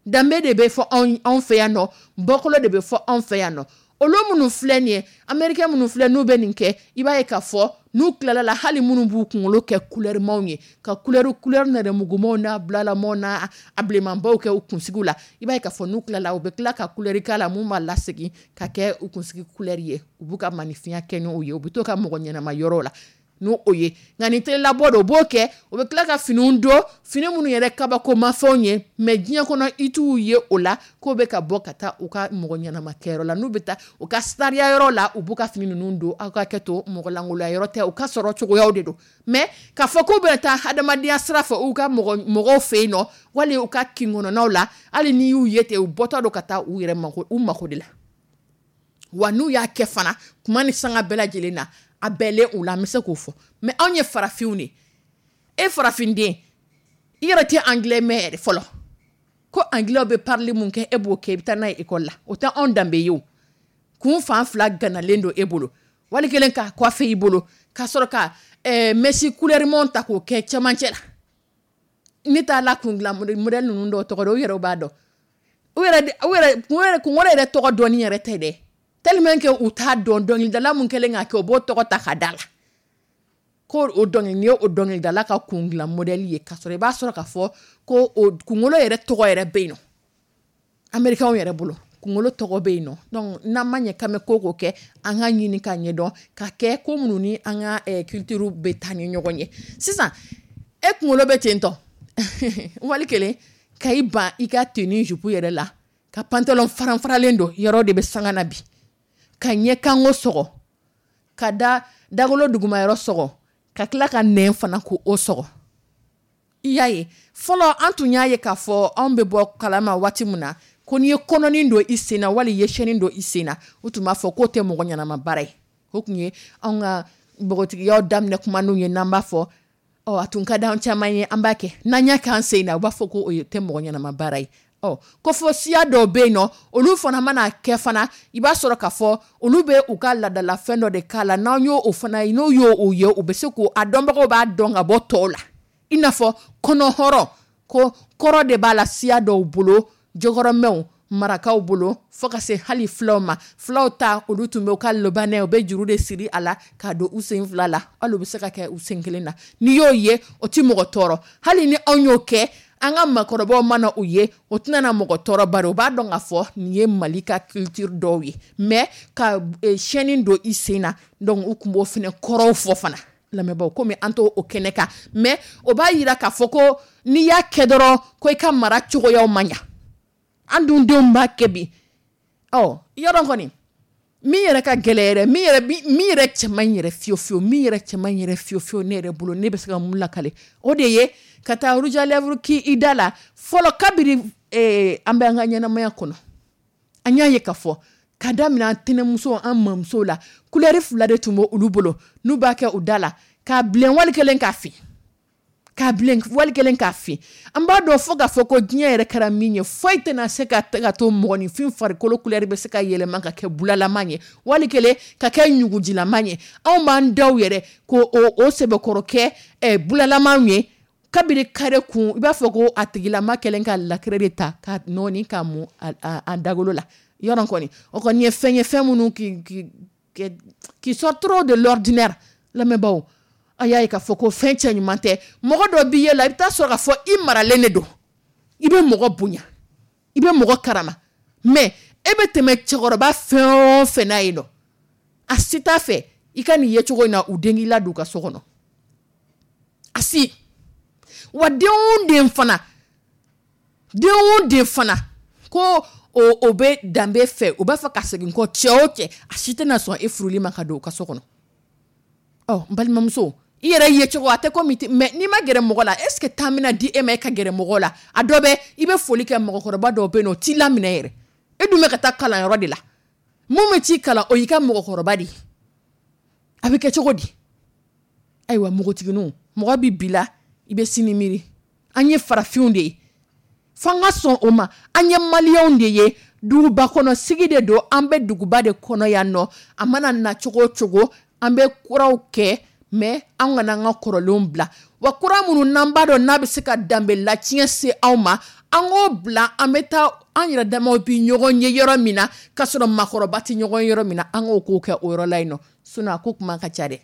Danbe de bɛ fɔ anw fɛ yan nɔ, bɔkolo de bɛ fɔ anw fɛ yan nɔ. Olu minnu filɛ nin ye, américain minnu filɛ, n'u bɛ nin kɛ, i b'a ye k'a fɔ n'u tilala la, hali minnu b'u kunkolo kɛ couleur maw ye, ka couleur nɛrɛmugumaw n'a bulalamaw n'a a bilenmanbaw kɛ u kunsigiw la, i b'a ye k'a fɔ n'u tilala, u bɛ tila ka couleur k'a la mun b'a lasegin ka kɛ u kunsigi couleur ye. U b'u ka maninfinya kɛ n'o ye, u bɛ to ka mɔgɔ ɲɛnama yɔrɔ la n'o o ye. Nka ni telelabɔ don, u b'o kɛ, u bɛ tila ka finiw don, fini minnu yɛrɛ kabakomafɛnw ye, mais diɲɛ kɔnɔ i t'u ye o la k'o bɛ ka bɔ ka taa u ka mɔgɔ ɲɛnama kɛyɔrɔ la. N'u bɛ taa u ka sariya yɔrɔ la, u b'u ka fini ninnu don. Aw ka kɛ to, mɔgɔ lankolonya yɔrɔ tɛ, u ka sɔrɔ cogoyaw de don. Mais k'a fɔ k'u bɛ taa hadamadenya sira fɛ u ka mɔgɔw fɛ yen nɔ, wali u ka kin kɔnɔnaw la, hali n'i y'u ye ten, u bɔtɔ don ka taa u yɛrɛ mako, u mako de la. Wa n'u y'a kɛ fana, kuma ni sanga bɛɛ lajɛlen na, a bɛɛlen u la, an bɛ se k'o fɔ. Mais anw ye farafinw de, e farafinden, i yɛrɛ tɛ anglais mɛn yɛrɛ fɔlɔ, ko anglais bɛ parler mun kɛ, e b'o kɛ, i bɛ taa n'a ye école la, o tɛ anw danbe ye. O kun fan fila ganalen don e bolo, wali kelen k'a coiffer i bolo, ka sɔrɔ ka mèche couleur ta k'o kɛ cɛmancɛ la. Ne t'a la kun dilan modèle ninnu dɔw tɔgɔ dɔn, u yɛrɛ b'a dɔn, u yɛrɛ u yɛrɛ kunkolo yɛrɛ tɔgɔ dɔnni yɛrɛ tɛ dɛ, tellement que u t'a dɔn. Dɔnkilidala mun kɛlen k'a kɛ, o b'o tɔgɔ ta ka da la ko o dɔnkili nin ye, o dɔnkilidala ka kun dilan modèle ye, k'a sɔrɔ i b'a sɔrɔ k'a fɔ ko o kunkolo yɛrɛ tɔgɔ yɛrɛ bɛ yen nɔ, américain yɛrɛ bolo kunkolo tɔgɔ bɛ yen nɔ. Donc n'an ma ɲɛ k'an bɛ ko ko kɛ, an ka ɲini k'a ɲɛdɔn, ka kɛ ko minnu ni an ka culture bɛ taa ni ɲɔgɔn ye. Sisan e kunkolo bɛ ten tɔ, wali kelen ka i ban i ka tenue jupe yɛrɛ la, ka pantalon faran-faralen don, yɔrɔ de bɛ sanga na bi, ka ɲɛ kanko sɔgɔ, ka da dagolo dugumayɔrɔ sɔgɔ, ka tila ka nɛn fana ko o sɔgɔ. I y'a ye, fɔlɔ an tun y'a ye k'a fɔ anw bɛ bɔ kalama waati min na, ko n'i ye kɔnɔnin don i sen na, wali i ye chaîne don i sen na, u tun b'a fɔ k'o tɛ mɔgɔ ɲɛnama baara ye. O tun ye anw ka npogotigiyaw daminɛ kumaninw ye n'an b'a fɔ. Ɔ, a tun ka di an caman ye, an b'a kɛ. N'an y'a kɛ an sen na, u b'a fɔ ko o tɛ mɔgɔ ɲɛnama baara ye. Ɔ, ko fɔ siya dɔw bɛ yen nɔ, olu fana mana kɛ fana, i b'a sɔrɔ k'a fɔ olu bɛ u ka laadalafɛn dɔ de k'a la. N'an y'o o fana ye, n'o y'o o ye, u bɛ se k'o a dɔnbagaw b'a dɔn ka bɔ tɔw la, i n'a fɔ kɔnɔhɔrɔn, ko kɔrɔ de b'a la siya dɔw bolo, jɔkɔrɔmɛw, marakaw bolo, fo ka se hali filaw ma. Filaw ta, olu tun bɛ u ka lobanɛ, u bɛ juru de siri a la k'a don u sen fila la, hali u bɛ se ka kɛ u sen kelen na. N'i y'o ye, o ti mɔgɔ tɔɔrɔ. Hali ni anw y'o kɛ, an ka maakɔrɔbaw mana u ye, o tɛna na mɔgɔ tɔɔrɔ, bari u b'a dɔn k'a fɔ nin ye Mali ka culture dɔw ye. Mais ka chaîne don i sen na, donc u tun b'o fana kɔrɔw fɔ fana, lamɛnbaaw, komi an t'o o kɛnɛ kan. Mais o b'a yira k'a fɔ ko n'i y'a kɛ dɔrɔn, ko i ka mara cogoyaw man ɲa. An dun denw b'a kɛ bi. Ɔ, yɔrɔ kɔni min yɛrɛ ka gɛlɛ yɛrɛ, min yɛrɛ cɛ man ɲi yɛrɛ fiyewu fiyewu, min yɛrɛ cɛ man ɲi yɛrɛ fiyewu fiyewu, ne yɛrɛ bolo, ne bɛ se ka mun lakale, o de ye ka taa rouge à lèvres k'i i da la. Fɔlɔ, kabiri an bɛ an ka ɲɛnamaya kɔnɔ, an y'a ye k'a fɔ ka daminɛ an tɛnɛmuso, an mamuso la, couleur fila de tun bɛ olu bolo n'u b'a kɛ u da la, k'a bilen wali kelen k'a fin, k'a bilen wali kelen k'a fin. An b'a dɔn fo k'a fɔ ko diɲɛ yɛrɛ kɛra min ye, foyi tɛna se ka to mɔgɔninfin farikolo couleur bɛ se ka yɛlɛma ka kɛ bulalama ye, wali kelen ka kɛ ɲugujilama ye. Anw b'an daw yɛrɛ ko o sɛbɛkɔrɔ kɛ bulalama ye, kabiri kare kun, i b'a fɔ ko a tigilama kɛlen ka lakɛrɛ de ta ka nɔɔni ka mun a dagolo la. Yɔrɔ kɔni, o kɔni ye fɛn ye, fɛn minnu qui sort trop de l'ordinaire. Lamɛnbaaw, a y'a ye k'a fɔ ko fɛn cɛ ɲuman tɛ. Mɔgɔ dɔ b'i ye la, i bɛ taa sɔrɔ k'a fɔ i maralen de don, i bɛ mɔgɔ bonya, i bɛ mɔgɔ karama. Mais e bɛ tɛmɛ cɛkɔrɔba fɛn o fɛn n'a yen nɔ, a si t'a fɛ i ka nin yecogo in na u den k'i ladon u ka so kɔnɔ, a si. Wa den o den fana, den o den fana ko o bɛ danbe fɛ, o b'a fɛ ka segin kɔ, cɛ o cɛ, a si tɛna sɔn e furuli ma ka don u ka so kɔnɔ. Ɔ n balimamuso, i yɛrɛ ye cogo a tɛ komi, mais n'i ma gɛrɛ mɔgɔ la, est ce que temps bɛna di e ma e ka gɛrɛ mɔgɔ la? A dɔ bɛ i bɛ foli kɛ, mɔgɔkɔrɔba dɔw bɛ yen nɔ, o t'i laminɛ yɛrɛ. E dun bɛ ka taa kalanyɔrɔ de la, mun bɛ t'i kalan, o y'i ka mɔgɔkɔrɔba de ye. A bɛ kɛ cogo di? Ayiwa, npogotigininw, mɔgɔ bɛ bi la, i bɛ sini miiri. An ye farafinw de ye, f'an ka sɔn o ma. An ye maliyɛnw de ye, duguba kɔnɔ sigi de don, an bɛ duguba de kɔnɔ yan nɔ. A mana na cogo o cogo, an bɛ kuraw kɛ, mais an kana an ka kɔrɔlenw bila. Wa kura minnu n'an b'a dɔn n'a bɛ se ka danbe latiɲɛ se anw ma, an k'o bila. An bɛ taa an yɛrɛ damaw bi ɲɔgɔn ye yɔrɔ min na, k'a sɔrɔ maakɔrɔba tɛ ɲɔgɔn ye yɔrɔ min na, an k'o ko kɛ o yɔrɔ la yen nɔ. Sinon a ko kuma ka ca dɛ.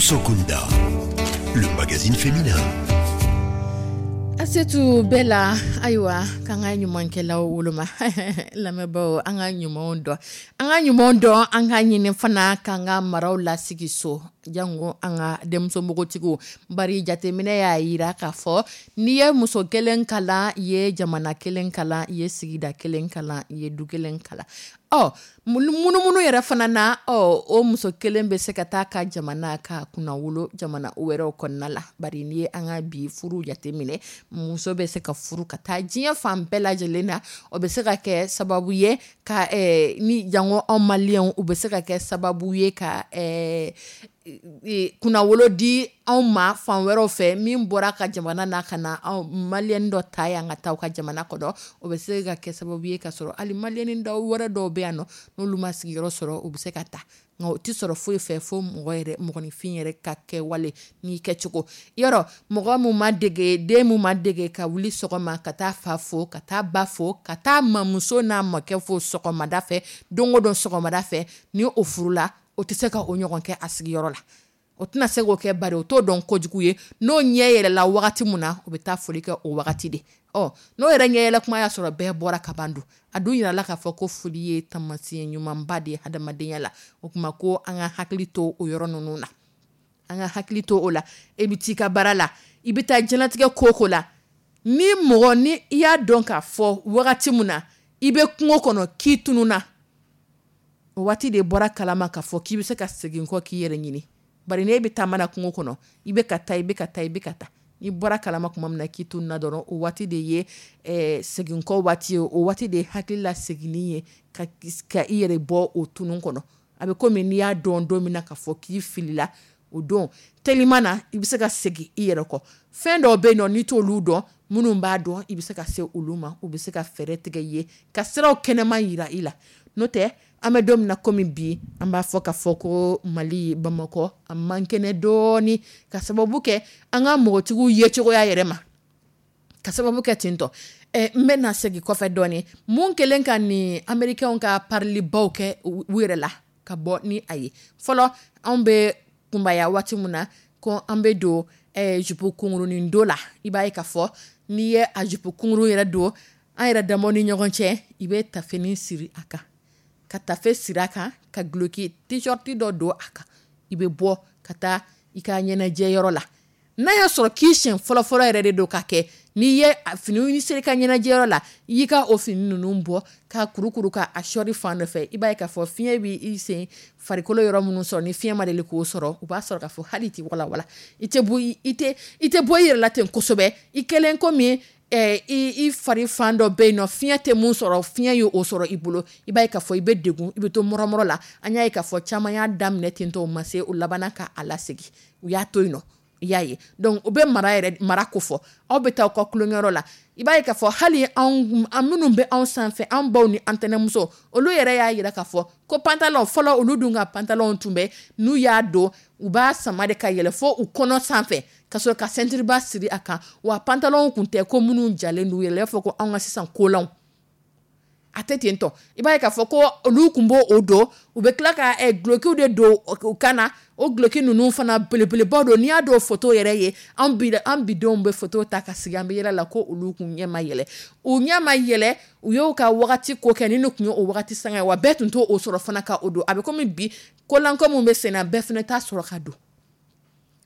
Musokunda, le magazine féminin. Asetu bɛɛ la, ayiwa, k'an ka ɲumankɛlaw woloma. Lamɛnbaaw, an ka ɲumanw dɔn, an ka ɲumanw dɔn, an ka ɲini fana k'an ka maraw lasigi so, jango an ka denmuso npogotigiw. Bari jateminɛ y'a yira k'a fɔ n'i ye muso kelen kalan, i ye jamana kelen kalan, i ye sigida kelen kalan, i ye du kelen kalan. Ɔ munumunu yɛrɛ fana na, ɔ o muso kelen bɛ se ka taa ka jamana ka kunnawolo jamana wɛrɛw kɔnɔna la. Bari n'i ye an ka bi furu jateminɛ, muso bɛ se ka furu ka taa diɲɛ fan bɛɛ lajɛlen na. O bɛ se ka kɛ sababu ye ka ni jango anw maliyɛnw, u bɛ se ka kɛ sababu ye ka kunnawolo di anw ma fan wɛrɛw fɛ. Min bɔra ka jamana na ka na anw maliyɛn dɔ ta yan ka taa u ka jamana kɔnɔ, o bɛ se ka kɛ sababu ye ka sɔrɔ hali maliyɛn dɔw wɛrɛ dɔw bɛ yan nɔ, n'olu ma sigiyɔrɔ sɔrɔ, u bɛ se ka taa. Nka o tɛ sɔrɔ foyi fɛ fo mɔgɔ yɛrɛ, mɔgɔninfin yɛrɛ ka kɛwale n'i kɛcogo. Yɔrɔ mɔgɔ mun ma dege, den mun ma dege ka wuli sɔgɔma ka taa fa fo, ka taa ba fo, ka taa mamuso n'a mɔkɛ fo sɔgɔmada fɛ, don o don sɔgɔmada fɛ, ni o furula, o tɛ se ka o ɲɔgɔn kɛ a sigiyɔrɔ la. O tɛna se k'o kɛ, bari o t'o dɔn kojugu ye. N'o ɲɛ yɛlɛla wagati min na, o bɛ taa foli kɛ o wagati de. Ɔ n'o yɛrɛ ɲɛ yɛlɛ kuma y'a sɔrɔ bɛɛ bɔra ka ban dun. A dun yirala k'a fɔ ko foli ye taamasiyɛn ɲumanba de ye hadamadenya la. O tuma ko an ka hakili to o yɔrɔ ninnu na, an ka hakili to o la. E bɛ t'i ka baara la, i bɛ taa diɲɛlatigɛ ko o ko la, ni mɔgɔ ni i y'a dɔn k'a fɔ wagati min na i bɛ kungo kɔnɔ k'i tununna, o waati de bɔra kalama k'a fɔ k'i bɛ se ka segin kɔ k'i yɛrɛ ɲini. Bari n'e bɛ taama na kungo kɔnɔ, i bɛ ka taa, i bɛ ka taa, i bɛ ka taa, n'i bɔra kalama tuma min na k'i tununna dɔrɔn, o waati de ye segin kɔ waati ye, o waati de ye hakili la seginni ye ka i yɛrɛ bɔ o tunun kɔnɔ. A bɛ komi n'i y'a dɔn don min na k'a fɔ k'i filila, o don teliman na i bɛ se ka segin i yɛrɛ kɔ. Fɛn dɔw bɛ yen nɔ, n'i t'olu dɔn, minnu b'a dɔn, i bɛ se ka se olu ma, u bɛ se ka fɛɛrɛ tigɛ i ye ka siraw kɛnɛma yira i la. N'o tɛ, an bɛ don min na komi bi, an b'a fɔ k'a fɔ ko Mali, Bamakɔ a man kɛnɛ dɔɔni, ka sababu kɛ an ka mɔgɔtigiw yecogoya yɛrɛ ma, ka sababu kɛ ten tɔ. N bɛ na segin kɔfɛ dɔɔni. Mun kɛlen ka nin américains ka parilibaw kɛ u yɛrɛ la ka bɔ ni a ye. Fɔlɔ anw bɛ kunbaya waati min na, ko an bɛ don jupe kunkurunin don la, i b'a ye k'a fɔ n'i ye a jupe kunkurun yɛrɛ don, an yɛrɛ damaw ni ɲɔgɔn cɛ, i bɛ tafenin siri a kan, ka tafe siri a kan, ka duloki t-shirt dɔ don a kan, i bɛ bɔ ka taa i ka ɲɛnajɛyɔrɔ la. N'a y'a sɔrɔ k'i siɲɛ fɔlɔfɔlɔ yɛrɛ de don ka kɛ, n'i ye fini seri ka ɲɛnajɛyɔrɔ la, i y'i ka o fini ninnu bɔ ka kurukuru ka a sɔri fan dɔ fɛ, i b'a ye k'a fɔ fiɲɛ b'i sen farikolo yɔrɔ minnu sɔrɔ, ni fiɲɛ ma deli k'o sɔrɔ, u b'a sɔrɔ k'a fɔ hali i tɛ walawala, i tɛ bɔ i tɛ bɔ i yɛrɛ la ten kosɛbɛ. I kɛlen komi i fari fan dɔ bɛ yen nɔ, fiɲɛ tɛ mun sɔrɔ, fiɲɛ ye o sɔrɔ i bolo, i b'a ye k'a fɔ i bɛ degun, i bɛ to mɔrɔmɔrɔ la. An y'a ye k'a fɔ caman y'a daminɛ ten tɔ, o ma se, o labanna ka a lasegin, u y'a to yen nɔ. I y'a ye. Donc o bɛ mara yɛrɛ, mara ko fɔ. Aw bɛ taa aw ka tulonkɛyɔrɔ la, i b'a ye k'a fɔ hali anw minnu bɛ anw sanfɛ, an baw ni an tɛnɛmuso, olu yɛrɛ y'a yira k'a fɔ ko pantalon fɔlɔ, olu dun ka pantalon tun bɛ, n'u y'a don, u b'a sama de ka yɛlɛ fo u kɔnɔ sanfɛ, ka sɔrɔ ka ceinture ba siri a kan. Wa pantalon kun tɛ ko minnu jalen d'u yɛrɛ, i b'a fɔ ko anw ka sisan kolanw, a tɛ ten tɔ. I b'a ye k'a fɔ ko olu kun b'o o don, u bɛ tila ka dulokiw de don u kan na. O duloki ninnu fana belebelebaw don. N'i y'a dɔn photo yɛrɛ ye, an bidenw bɛ photo ta ka sigi, an bɛ yɛlɛ la ko olu kun ɲɛ ma yɛlɛ, u ɲɛ ma yɛlɛ, u y'o ka wagati ko kɛ ni ne tun ye o wagati sanga ye, wa bɛɛ tun t'o sɔrɔ fana ka o don. A bɛ komi bi kolanko min bɛ sen na, bɛɛ fana t'a sɔrɔ ka don,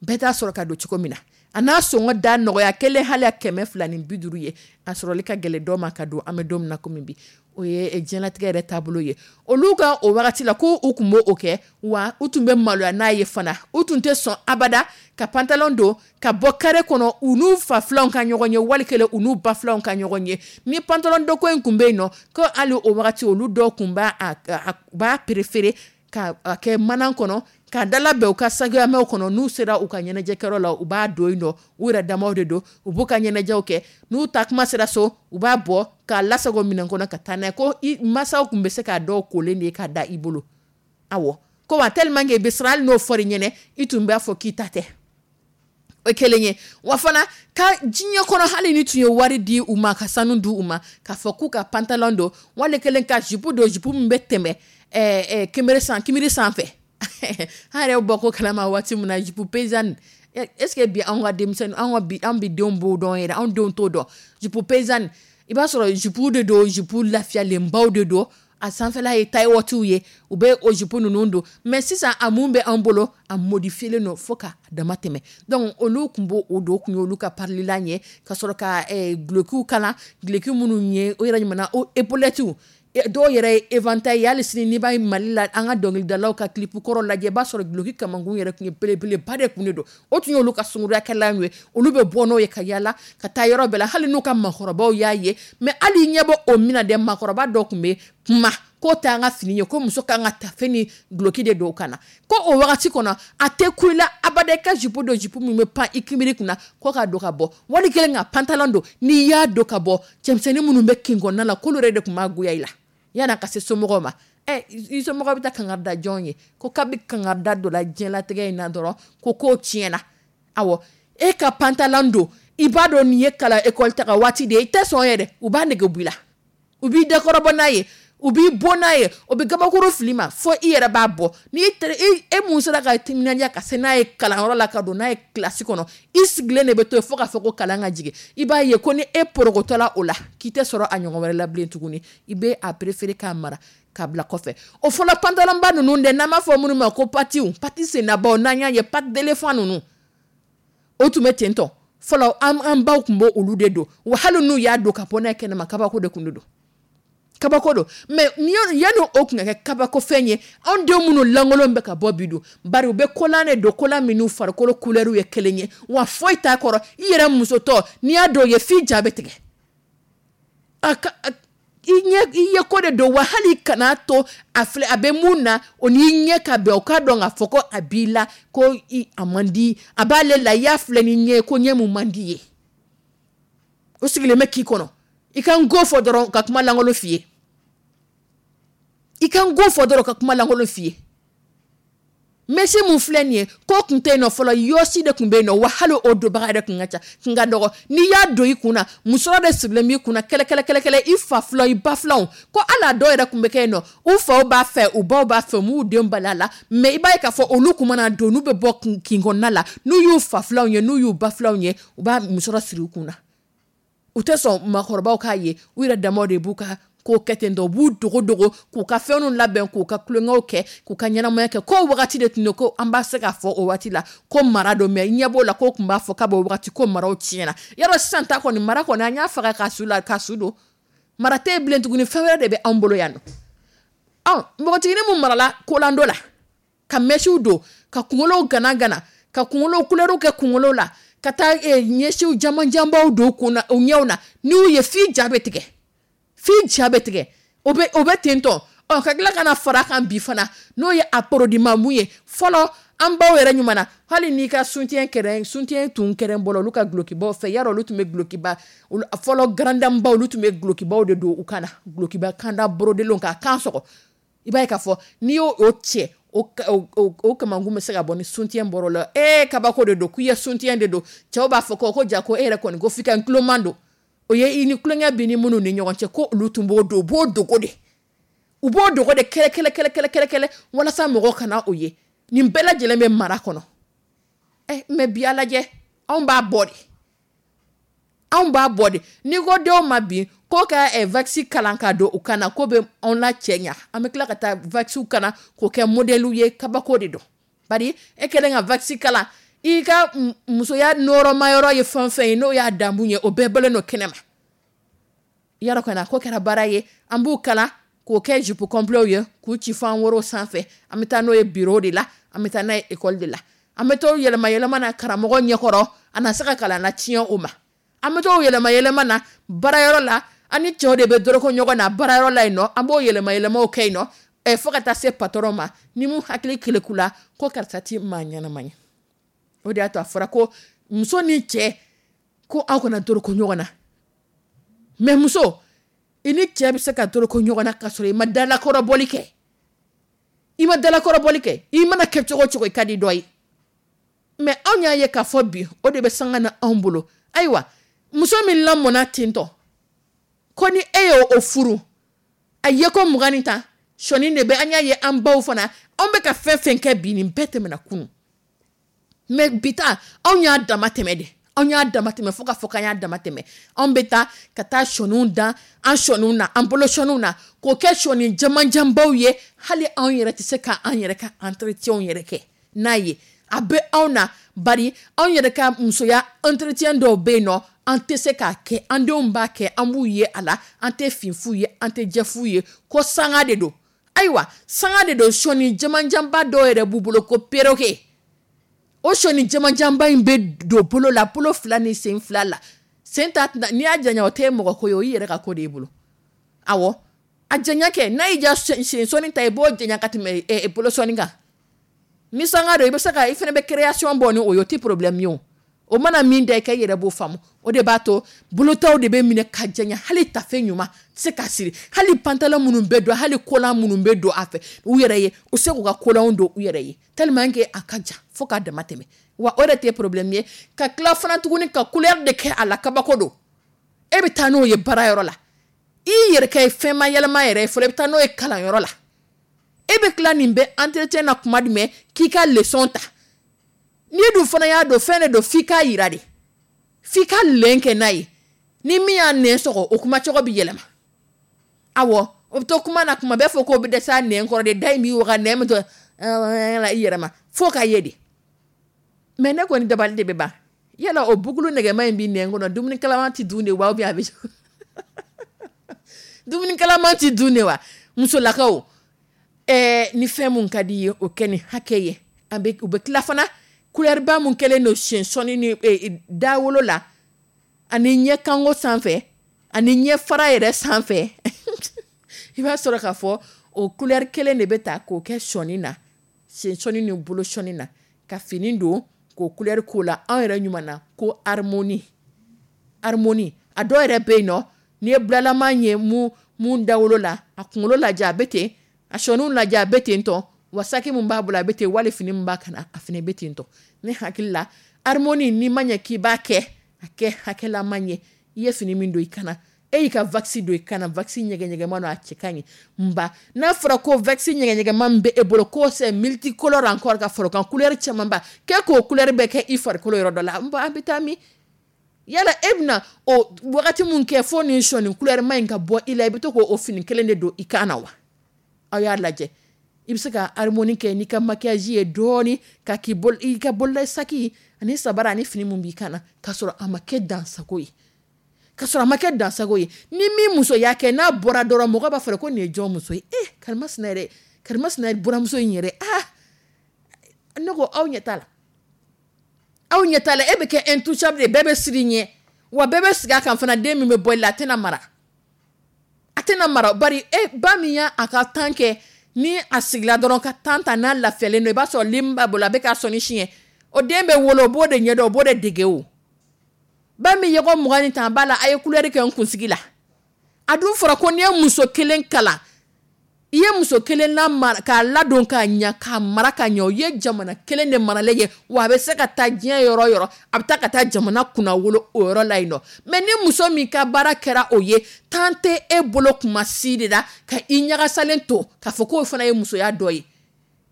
bɛɛ t'a sɔrɔ ka don cogo min na. A n'a sɔngɔ da nɔgɔya kelen hali 250 ye, a sɔrɔli ka gɛlɛn dɔw ma ka don. An bɛ don min na komi bi, o ye diɲɛlatigɛ yɛrɛ taabolo ye. Olu ka o wagati la ko u tun b'o kɛ, wa u tun bɛ maloya n'a ye fana. U tun tɛ sɔn abada ka pantalon don ka bɔ carré kɔnɔ, u n'u fa filanw ka ɲɔgɔn ye, wali kelen u n'u ba filanw ka ɲɔgɔn ye. Ni pantalon doko in tun bɛ yen nɔ, ko hali o wagati olu dɔw tun b'a préféré ka kɛ mana kɔnɔ, ka dala bɛn u ka sagamɛw kɔnɔ. N'u sera u ka ɲɛnajɛkɛyɔrɔ la, u b'a don yen nɔ, u yɛrɛ damaw de don, u b'u ka ɲɛnajɛw kɛ. N'u ta kuma sera so, u b'a bɔ k'a lasago minɛn kɔnɔ ka taa n'a ye. Ko i masaw tun bɛ se k'a dɔw kolen de ye k'a da i bolo. Awɔ, ko wa tellement que i bɛ siran, hali n'o fɔr'i ɲɛna, i tun b'a fɔ k'i ta tɛ. O kelen ye. Wa fana ka diɲɛ kɔnɔ, hali ni tun ye wari di u ma, ka sanu di u ma, k'a fɔ k'u ka pantalon don, wali kelen ka jupe don, jupe min bɛ tɛmɛ kinbiri sanfɛ. An yɛrɛ bɔ ko kalama waati min na, jupe paysanne, est ce que bi anw ka denmisɛnnin, anw ka bi, an bi denw b'o dɔn yɛrɛ? Anw denw t'o dɔn. Jupe paysanne, i b'a sɔrɔ jupe de don, jupe lafiyalenbaw de don, a sanfɛla ye taille haute ye, u bɛ o jupe ninnu don. Mais sisan, a mun bɛ an bolo, a modifié don fo ka dama tɛmɛ. Donc olu tun b'o o don, kun ye olu ka parililan ye, ka sɔrɔ ka dulokiw kala, duloki minnu ye o yɛrɛ ɲuman o épaulettes, dɔw yɛrɛ ye éventail ye. Hali sini, n'i b'a ye Mali la, an ka dɔnkilidalaw ka clip kɔrɔ lajɛ, i b'a sɔrɔ duloki kamankun yɛrɛ tun ye belebeleba de kun de don. O tun ye olu ka sunkuruyakɛlan ye. Olu bɛ bɔ n'o ye ka yala ka taa yɔrɔ bɛɛ la, hali n'u ka maakɔrɔbaw y'a ye. Mais hali ɲɛ bɔ o min na dɛ, maakɔrɔba dɔ tun bɛ kuma k'o t'an ka fini ye, ko muso kan ka tafe ni duloki de don ka na, ko o wagati kɔnɔ a tɛ ku i la abada i ka jupe don, jupe min bɛ pan i kinbiri kunna, ko ka don ka bɔ, wali kelen ka pantalon don. N'i y'a don ka bɔ, cɛmisɛnnin minnu bɛ kin kɔnɔna la, k'olu yɛrɛ de tun b'a goya i la yan'a ka se somɔgɔw ma. Ɛ, i somɔgɔw bɛ taa kangari da jɔn ye ko kabi kangari da dɔ la diɲɛlatigɛ in na dɔrɔn, ko kow tiɲɛna? Awɔ, e ka pantalon don, i b'a dɔn nin ye kalan école taga waati de ye, i tɛ sɔn yɛrɛ, u b'a nege bɔ i la, u b'i dakɔrɔbɔ n'a ye, u b'i bon n'a ye, o bɛ gabakuru fili ma fo i yɛrɛ b'a bɔ. N'i e mun sera ka timinandiya ka se n'a ye kalanyɔrɔ la, ka don n'a ye kilasi kɔnɔ, i sigilen de bɛ to yen fo k'a fɔ ko kalan ka jigin. I b'a ye ko ni e porokotɔla o la, k'i tɛ sɔrɔ a ɲɔgɔn wɛrɛ la bilen tuguni. I bɛ a préféré k'a mara k'a bila kɔfɛ. O fɔlɔ pantalonba ninnu dɛ, n'an b'a fɔ minnu ma ko patiw, pati sennabaw, n'an y'a ye patte d'éléphant ninnu, o tun bɛ ten tɔ fɔlɔ. An baw tun b'o olu de don wa. Hali n'u y'a don ka bɔ n'a ye kɛnɛma, kabako de tun don, kabako don. Mais yanni o tun ka kɛ kabako fɛn ye, anw denw minnu lankolon bɛ ka bɔ bi don, bari u bɛ kolan de don, kolan minnu farikolo couleur ye kelen ye wa, foyi t'a kɔrɔ. I yɛrɛ musotɔ, n'i y'a dɔw ye, f'i ja bɛ tigɛ. A ka i ɲɛ, i ye ko de don wa. Hali kana to a filɛ, a bɛ mun na, o n'i ɲɛ ka bɛn, o k'a dɔn k'a fɔ ko a b'i la, ko a man di a b'ale la. I y'a filɛ ni ɲɛ ye ko ɲɛ mun man di ye, o sigilen bɛ k'i kɔnɔ. I ka n ko fɔ dɔrɔn ka kuma lankolon f'i ye, i ka n ko fɔ dɔrɔn ka kuma lankolon f'i ye. Mèche mun filɛ nin ye, ko tun tɛ yen nɔ fɔlɔ, yɔsi de tun bɛ yen nɔ wa. Hali o donbaga yɛrɛ tun ka ca, kun ka dɔgɔ. N'i y'a don i kun na, musɔrɔ de sirilen b'i kun na kɛlɛ kɛlɛ kɛlɛ kɛlɛ. I fa filanw, i ba filanw, ko hali a dɔw yɛrɛ tun bɛ kɛ yen nɔ, u faw b'a fɛ, u baw b'a fɛ, u m'u den bali a la. Mais i b'a ye k'a fɔ olu kun mana don, n'u bɛ bɔ kin kɔnɔna la, n'u y'u fa filanw ye, n'u y'u ba filanw ye, u b'a musɔrɔ siri u kun na. U tɛ sɔn maakɔrɔbaw k'a ye. U yɛrɛ damaw de b'u ka ko kɛ ten tɔ, u b'u dogo dogo k'u ka fɛnw labɛn, k'u ka tulonkɛw kɛ, k'u ka ɲɛnamaya kɛ. Ko wagati de tun don, ko an b'a se k'a fɔ o waati la ko mara don. Mais ɲɛ b'o la, ko tun b'a fɔ k'a b'o wagati ko maraw tiɲɛna. Yarɔ, sisan ta kɔni, mara kɔni, an y'a faga k'a su la, k'a su don, mara tɛ yen bilen tuguni. Fɛn wɛrɛ de bɛ anw bolo yan nɔ. Ɔ, npogotiginin mun marala kolando la, ka mèchew don, ka kunkolow gana gana, ka kunkolo couleurw kɛ kunkolo la, ka taa ɲɛsiw jamanjanbaw don kun na, u ɲɛw na, n'u ye, f'i ja bɛ tigɛ, f'i ja bɛ tigɛ. O bɛ ten tɔ. Ɔ, ka tila ka na fara kan bi fana, n'o ye a produit mun ye. Fɔlɔ, an baw yɛrɛ ɲuman na, hali n'i ka soutien kɛrɛn, soutien tun kɛrɛn bɔla olu ka dulokibaw fɛ. Yarɔ, olu tun bɛ dulokiba fɔlɔ, grande dame baw, olu tun bɛ dulokibaw de don u kan na, dulokiba kanda borodelenw k'a kan sɔgɔ. I b'a ye k'a fɔ n'i y'o o cɛ, o kamankun bɛ se ka bɔ ni soutien bɔr'o la. Ee, kabako de don k'i ye soutien de don. Cɛw b'a fɔ ko ja, ko e yɛrɛ kɔni, ko f'i ka tuloman don. O ye i ni tulonkɛ b'i ni minnu ni ɲɔgɔn cɛ, ko olu tun b'o don, u b'o dogo de, u b'o dogo de kɛlɛ kɛlɛ kɛlɛ kɛlɛ kɛlɛ kɛlɛ, walasa mɔgɔw kana o ye. Nin bɛɛ lajɛlen bɛ mara kɔnɔ. Ɛ, mais bi, a lajɛ, anw b'a bɔ de, anw b'a bɔ de. N'i ko denw ma bi ko ka wax kalan ka don u kan na, ko bɛ anw la cɛ ɲa, an bɛ tila ka taa wax kana k'o kɛ modèle ye. Kabako de don, bari e kɛlen ka wax kalan, i ka musoya nɔrɔma yɔrɔ ye fɛn fɛn ye, n'o y'a damu ye, o bɛɛ bɔlen don kɛnɛ ma. Yarɔ, kana ko kɛra baara ye. An b'u kalan k'o kɛ jupe complet ye, k'u ci fo an woro sanfɛ. An bɛ taa n'o ye bureau de la, an bɛ taa n'a ye école de la, an bɛ t'o yɛlɛma yɛlɛma na karamɔgɔ ɲɛkɔrɔ, a na se ka kalan na tiɲɛ o ma. An bɛ t'o yɛlɛma yɛlɛma na baarayɔrɔ la, an ni cɛw de bɛ dɔrɔkɔ ɲɔgɔn na baarayɔrɔ la yen nɔ, an b'o yɛlɛma yɛlɛmaw kɛ yen nɔ, ɛ, fo ka taa se patron ma ni mun hakili keleku la ko karisa ti maa ɲɛnama ye. O de y'a to a fɔra ko muso ni cɛ, ko aw kana dɔrɔkɔ ɲɔgɔn na. Mais muso, i ni cɛ bɛ se ka dɔrɔkɔ ɲɔgɔn na ka sɔrɔ i ma dalakɔrɔbɔli kɛ, i ma dalakɔrɔbɔli kɛ. I mana kɛ cogo o cogo, i ka di dɔ ye. Mais anw y'a ye k'a fɔ bi, o de bɛ sanga na anw bolo. Ayiwa, muso min lamɔnna ten tɔ, ko ni e y'o o furu, a ye ko 20 ni tan sɔɔni de bɛ. An y'a ye an baw fana, Anw bɛ ka fɛn fɛn kɛ bi, nin bɛɛ tɛmɛna kunun. Mais bi ta, anw y'a dama tɛmɛ de, anw y'a dama tɛmɛ fo ka fɔ k'an y'a dama tɛmɛ. Anw bɛ taa ka taa sɔniw dan an sɔniw na, an bolo sɔniw na, k'o kɛ sɔni jamanjanbaw ye. Hali anw yɛrɛ tɛ se ka an yɛrɛ ka entretien yɛrɛ kɛ n'a ye. A bɛ anw na, bari anw yɛrɛ ka musoya entretien dɔw bɛ yen nɔ, an tɛ se k'a kɛ. An denw b'a kɛ, an b'u ye a la, an tɛ fin f'u ye, an tɛ jɛ f'u ye ko sanga de don. Ayiwa, sanga de don. Sɔni jamanjanba dɔw yɛrɛ b'u bolo ko perroquet. O sɔni jamanjanba in bɛ don bolo la, bolo fila ni sen fila la. Sen ta, n'i y'a janya, o tɛ mɔgɔ ko ye, o y'i yɛrɛ ka ko de y'i bolo. Awɔ, a janya kɛ n'a y'i diya, sen sɔni ta, i b'o janya ka tɛmɛ bolo sɔni kan. Ni sanga don, i bɛ se ka i fana bɛ création bɔ ni o ye, o tɛ problème ye. O o mana min da i ka, i yɛrɛ b'o faamu. O de b'a to bolotaw de bɛ minɛ ka janya. Hali tafe ɲuman tɛ se ka siri, hali pantalon minnu bɛ don, hali collant minnu bɛ don a fɛ u yɛrɛ ye, u se k'u ka collant don u yɛrɛ ye, tellement que a ka jan fo k'a dama tɛmɛ. Wa o de tɛ problème ye, ka tila fana tuguni ka couleur de kɛ a la, kabako don. E bɛ taa n'o ye baarayɔrɔ la, i yɛrɛ kɛ fɛn ma yɛlɛma yɛrɛ ye fɔlɔ, i bɛ taa n'o ye kalanyɔrɔ la. E bɛ tila nin bɛɛ entretien na kuma jumɛn k'i ka leçon ta? N'i dun fana y'a don, fɛn de don f'i k'a yira de, f'i ka lɛn kɛ n'a ye. Ni min y'a nɛn sɔgɔ, o kuma cogo bɛ yɛlɛma. Awɔ, o bɛ to kuma na kuma bɛɛ fɔ k'o bɛ dɛsɛ a nɛn kɔrɔ de. Da in b'i waga, nɛn bɛ to i yɛrɛ ma fo ka ye de. Mais ne kɔni dabali de bɛ ban. Yala o bukulu nɛgɛma in b'i nɛn kɔnɔ, dumuni kalaman tɛ dun de wa, ou bien a bɛ dumuni kalaman tɛ dun de wa? Musolakaw, ni fɛn mun ka di i ye, o kɛ ni hakɛ ye. An bɛ u bɛ tila fana, couleur ba mun kɛlen don sen sɔnni ni dawolo la, ani ɲɛ kanko sanfɛ, ani ɲɛ fara yɛrɛ sanfɛ, i b'a sɔrɔ k'a fɔ o couleur kelen de bɛ ta k'o kɛ sɔnni na, sen sɔnni ni bolo sɔnni na, ka fini don k'o couleur k'o la. Anw yɛrɛ ɲuman na ko harmonie, harmonie. A dɔw yɛrɛ bɛ yen nɔ, n'i ye bulalama ye mun dawolo la, a kunkolo lajɛ, a bɛ ten, a sɔnniw lajɛ, a bɛ ten tɔ. Wa saki mun b'a bolo, a bɛ ten, wali fini min b'a kana, a fana bɛ ten tɔ. Ne hakili la, harmonie, n'i ma ɲɛ k'i b'a kɛ, a kɛ hakɛlama ye. I ye fini min don i kana, e y'i ka wax don i kana, wax ɲɛgɛɲɛgɛma don, a cɛ ka ɲi. Nba n'a fɔra ko wax ɲɛgɛɲɛgɛma min bɛ e bolo, ko c'est multicolore encore, ka fara o kan, couleur camanba k'e k'o couleur bɛɛ kɛ i farikolo yɔrɔ dɔ la, nba an bɛ taa min? Yala e bɛna o wagati mun kɛ fo nin sɔnni couleur ma in ka bɔ i la, i bɛ to k'o fini kelen de don i kan na wa? Aw y'a lajɛ, i bɛ se ka harmonie kɛ n'i ka maquillage ye dɔɔni, ka k'i bolo, i ka bolola saki ani sabara ani fini mun b'i kan na, k'a sɔrɔ a ma kɛ dansago ye, k'a sɔrɔ a ma kɛ dansago ye. Ni min muso y'a kɛ, n'a bɔra dɔrɔn, mɔgɔ b'a fɔ ko nin ye jɔn muso ye? Eh, karimasina yɛrɛ, karimasina buramuso in yɛrɛ. Ah, ne ko aw ɲɛ t'a la, aw ɲɛ t'a la. E bɛ kɛ intouchable de, bɛɛ bɛ siran i ɲɛ, wa bɛɛ bɛ sigi a kan fana. Den min bɛ bɔ i la, a tɛna mara, a tɛna mara. Bari e ba min y'a a ka temps kɛ, ni a sigila dɔrɔn ka temps ta, n'a lafiyalen don, i b'a sɔrɔ lim b'a bolo, a bɛ k'a sɔnni siɲɛ. O den bɛ wolo, o b'o de ɲɛdɔn, o b'o de dege. O ba min ye ko 20 ni tan b'a la, a ye couleur kɛ n kunsigi la. A dun fɔra ko n'i ye muso kelen kalan, i ye muso kelen lamara, k'a ladon k'a ɲa, k'a mara ka ɲɛ, o ye jamana kelen de maralen ye. Wa a bɛ se ka taa diɲɛ yɔrɔ o yɔrɔ, a bɛ taa ka taa jamana kunna wolo o yɔrɔ la yen nɔ. Mais ni muso min ka baara kɛra o ye, temps tɛ e bolo kuma si de la ka i ɲagasalen to k'a fɔ k'o fana ye musoya dɔ ye.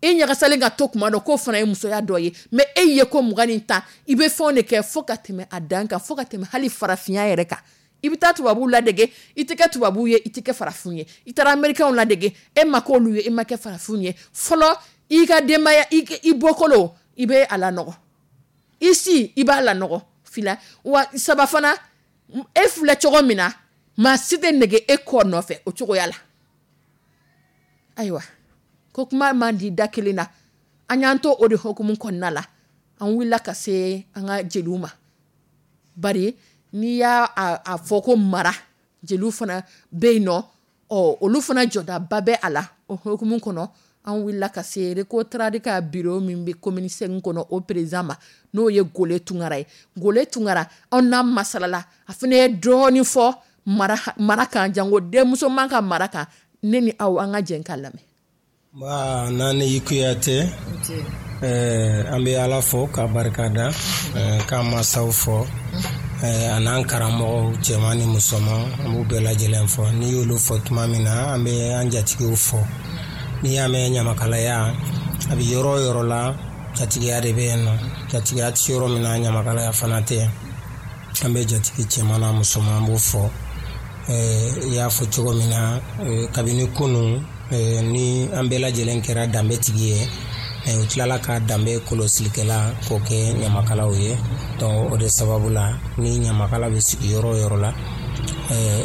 E ɲagasalen ka to kuma dɔ, k'o fana ye musoya dɔ ye. Mais e ye ko 20 ni 10, i bɛ fɛnw de kɛ fo ka tɛmɛ a dan kan, fo ka tɛmɛ hali farafinya yɛrɛ kan. I bɛ taa tubabuw ladege, i tɛ kɛ tubabuw ye, i tɛ kɛ farafin ye. I taara américains ladege, e ma k'olu ye, e ma kɛ farafin ye fɔlɔ. I ka denbaya, i bɔkolo, i bɛ a lanɔgɔ, i si, i b'a lanɔgɔ fila wa saba fana. E filɛ cogo min na, maa si tɛ nege e kɔ nɔfɛ o cogoya la. Ayiwa, ko kuma man di da kelen na. An y'an to o de hukumu kɔnɔna la, an wulila ka se an ka jeliw ma. Bari n'i y'a a fɔ ko mara, jeliw fana bɛ yen nɔ. Ɔ, olu fana jɔdaba bɛ a la. O hukumu kɔnɔ, an wulila ka se Recotrad ka bureau min bɛ commune 5 kɔnɔ, o président ma, n'o ye Gole Tunkara ye. Gole Tunkara, anw n'a masalala, a fana ye dɔɔnin fɔ mara mara kan, jango denmusoman ka mara kan. Ne ni aw, an ka jɛ k'a lamɛn. Ba Nani Kuyate, an bɛ Ala fo ka barika da, k'an masaw fɔ, a n'an karamɔgɔw cɛman ni musoman, an b'u bɛɛ lajɛlen fɔ. N'i y'olu fɔ tuma min na, an bɛ an jatigiw fɔ. N'i y'a mɛn ɲamakalaya A bɛ yɔrɔ o yɔrɔ la, jatigiya de bɛ yen nɔ. Jatigiya tɛ yɔrɔ min na, ɲamakalaya fana tɛ yen. An bɛ jatigi cɛman n'a musoman, an b'o fɔ. I y'a fɔ cogo min na, kabini kunun ni an bɛɛ lajɛlen kɛra danbetigi ye, u tilala ka danbe kɔlɔsilikɛla k'o kɛ ɲamakalaw ye. Donc o de sababu la, ni ɲamakala bɛ sigi yɔrɔ o yɔrɔ la,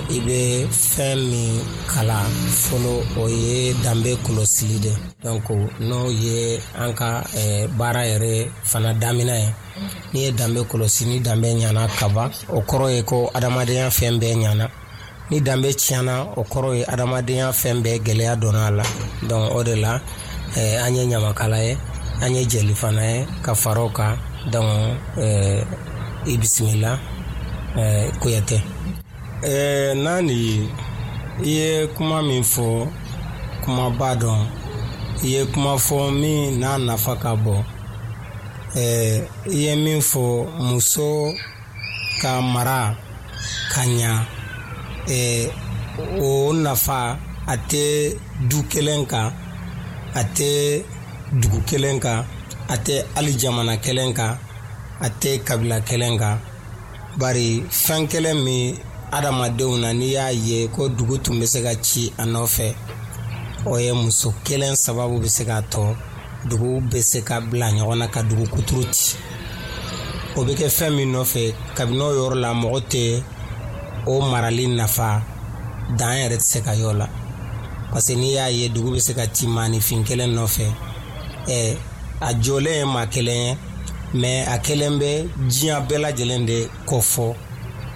i bɛ fɛn min kalan fɔlɔ, o ye danbe kɔlɔsili de. Donc n'o ye an ka baara yɛrɛ fana daminɛ ye. N'i ye danbe kɔlɔsi, ni danbe ɲana kaban, o kɔrɔ ye ko adamadenya fɛn bɛɛ ɲana. Ni danbe tiɲɛna, o kɔrɔ ye adamadenya fɛn bɛɛ gɛlɛya donna a la. Donc o de la, an ye ɲamakala ye, an ye jeli fana ye ka fara o kan. Donc i bisimila, Kuyate. Nani, i ye kuma min fɔ, kumaba dɔn. I ye kuma fɔ min n'a nafa ka bon. I ye min fɔ, muso ka mara ka ɲa, o nafa a tɛ du kelen kan, a tɛ dugu kelen kan, a tɛ hali jamana kelen kan, a tɛ kabila kelen kan. Bari fɛn kelen min adamadenw na, n'i y'a ye ko dugu tun bɛ se ka ci a nɔfɛ, o ye muso kelen sababu bɛ se k'a tɔ dugu bɛ se ka bila ɲɔgɔn na ka dugu kuturu ci. O bɛ kɛ fɛn min nɔfɛ, kabini o yɔrɔ la, mɔgɔ tɛ o marali nafa dan yɛrɛ tɛ se ka y'o la. Parce que n'i y'a ye dugu bɛ se ka ci maaninfin kelen nɔfɛ, a jɔlen ye maa kelen ye, mais a kelen bɛ diɲɛ bɛɛ lajɛlen de kɔ fɔ.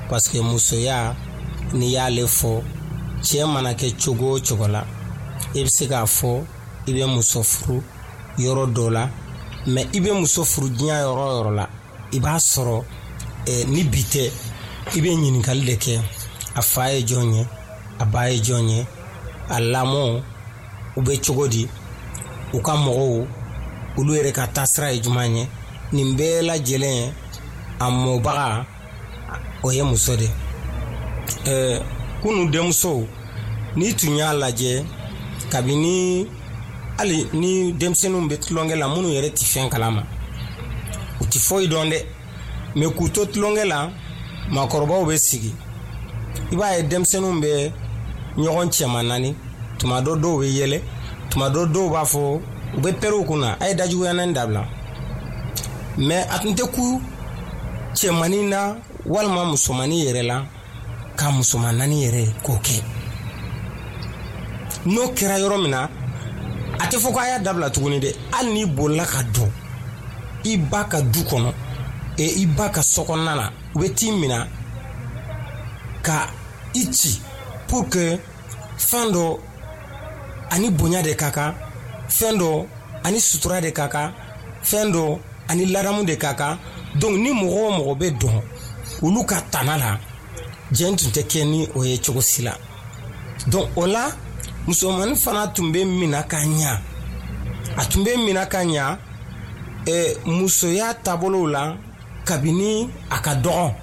Parce que musoya, n'i y'ale fɔ, cɛ mana kɛ cogo o cogo la, i bɛ se k'a fɔ i bɛ muso furu yɔrɔ dɔ la, mais i bɛ muso furu diɲɛ yɔrɔ o yɔrɔ la, i b'a sɔrɔ ni bi tɛ, i bɛ ɲininkali de kɛ: a fa ye jɔn ye, a ba ye jɔn ye, a lamɔ u bɛ cogo di, u ka mɔgɔw, olu yɛrɛ ka taasira ye jumɛn ye. Nin bɛɛ lajɛlen, a mɔbaga, o ye muso de. Kunu denmusow, n'i tun y'a lajɛ, kabini hali ni denmisɛnninw bɛ tulonkɛ la, minnu yɛrɛ tɛ fɛn kalama, u tɛ foyi dɔn dɛ, mais k'u to tulonkɛ la, maakɔrɔbaw bɛ sigi, i b'a ye denmisɛnninw bɛ ɲɔgɔn cɛman naani. Tuma dɔ dɔw bɛ yɛlɛ, tuma dɔ dɔw b'a fɔ, u bɛ pɛrɛn u kunna: "A ye dajuguya naani dabila." Mais a tun tɛ ku cɛmannin na walima musomannin yɛrɛ la ka musoman naani yɛrɛ k'o kɛ. N'o kɛra yɔrɔ min na, a tɛ fɔ ko a y'a dabila tuguni dɛ. Hali n'i bolila ka don i ba ka du kɔnɔ, i ba ka so kɔnɔna na, u bɛ t'i minɛ ka i ci, pour que fɛn dɔ ani bonya de ka kan, fɛn dɔ ani sutura de ka kan, fɛn dɔ ani ladamu de ka kan. Donc ni mɔgɔ o mɔgɔ bɛ dɔn olu ka tana la, jɛn tun tɛ kɛ ni o ye cogo si la. Donc o la, musomanin fana tun bɛ minɛ ka ɲa, a tun bɛ minɛ ka ɲa musoya taabolow la kabini a ka dɔgɔ.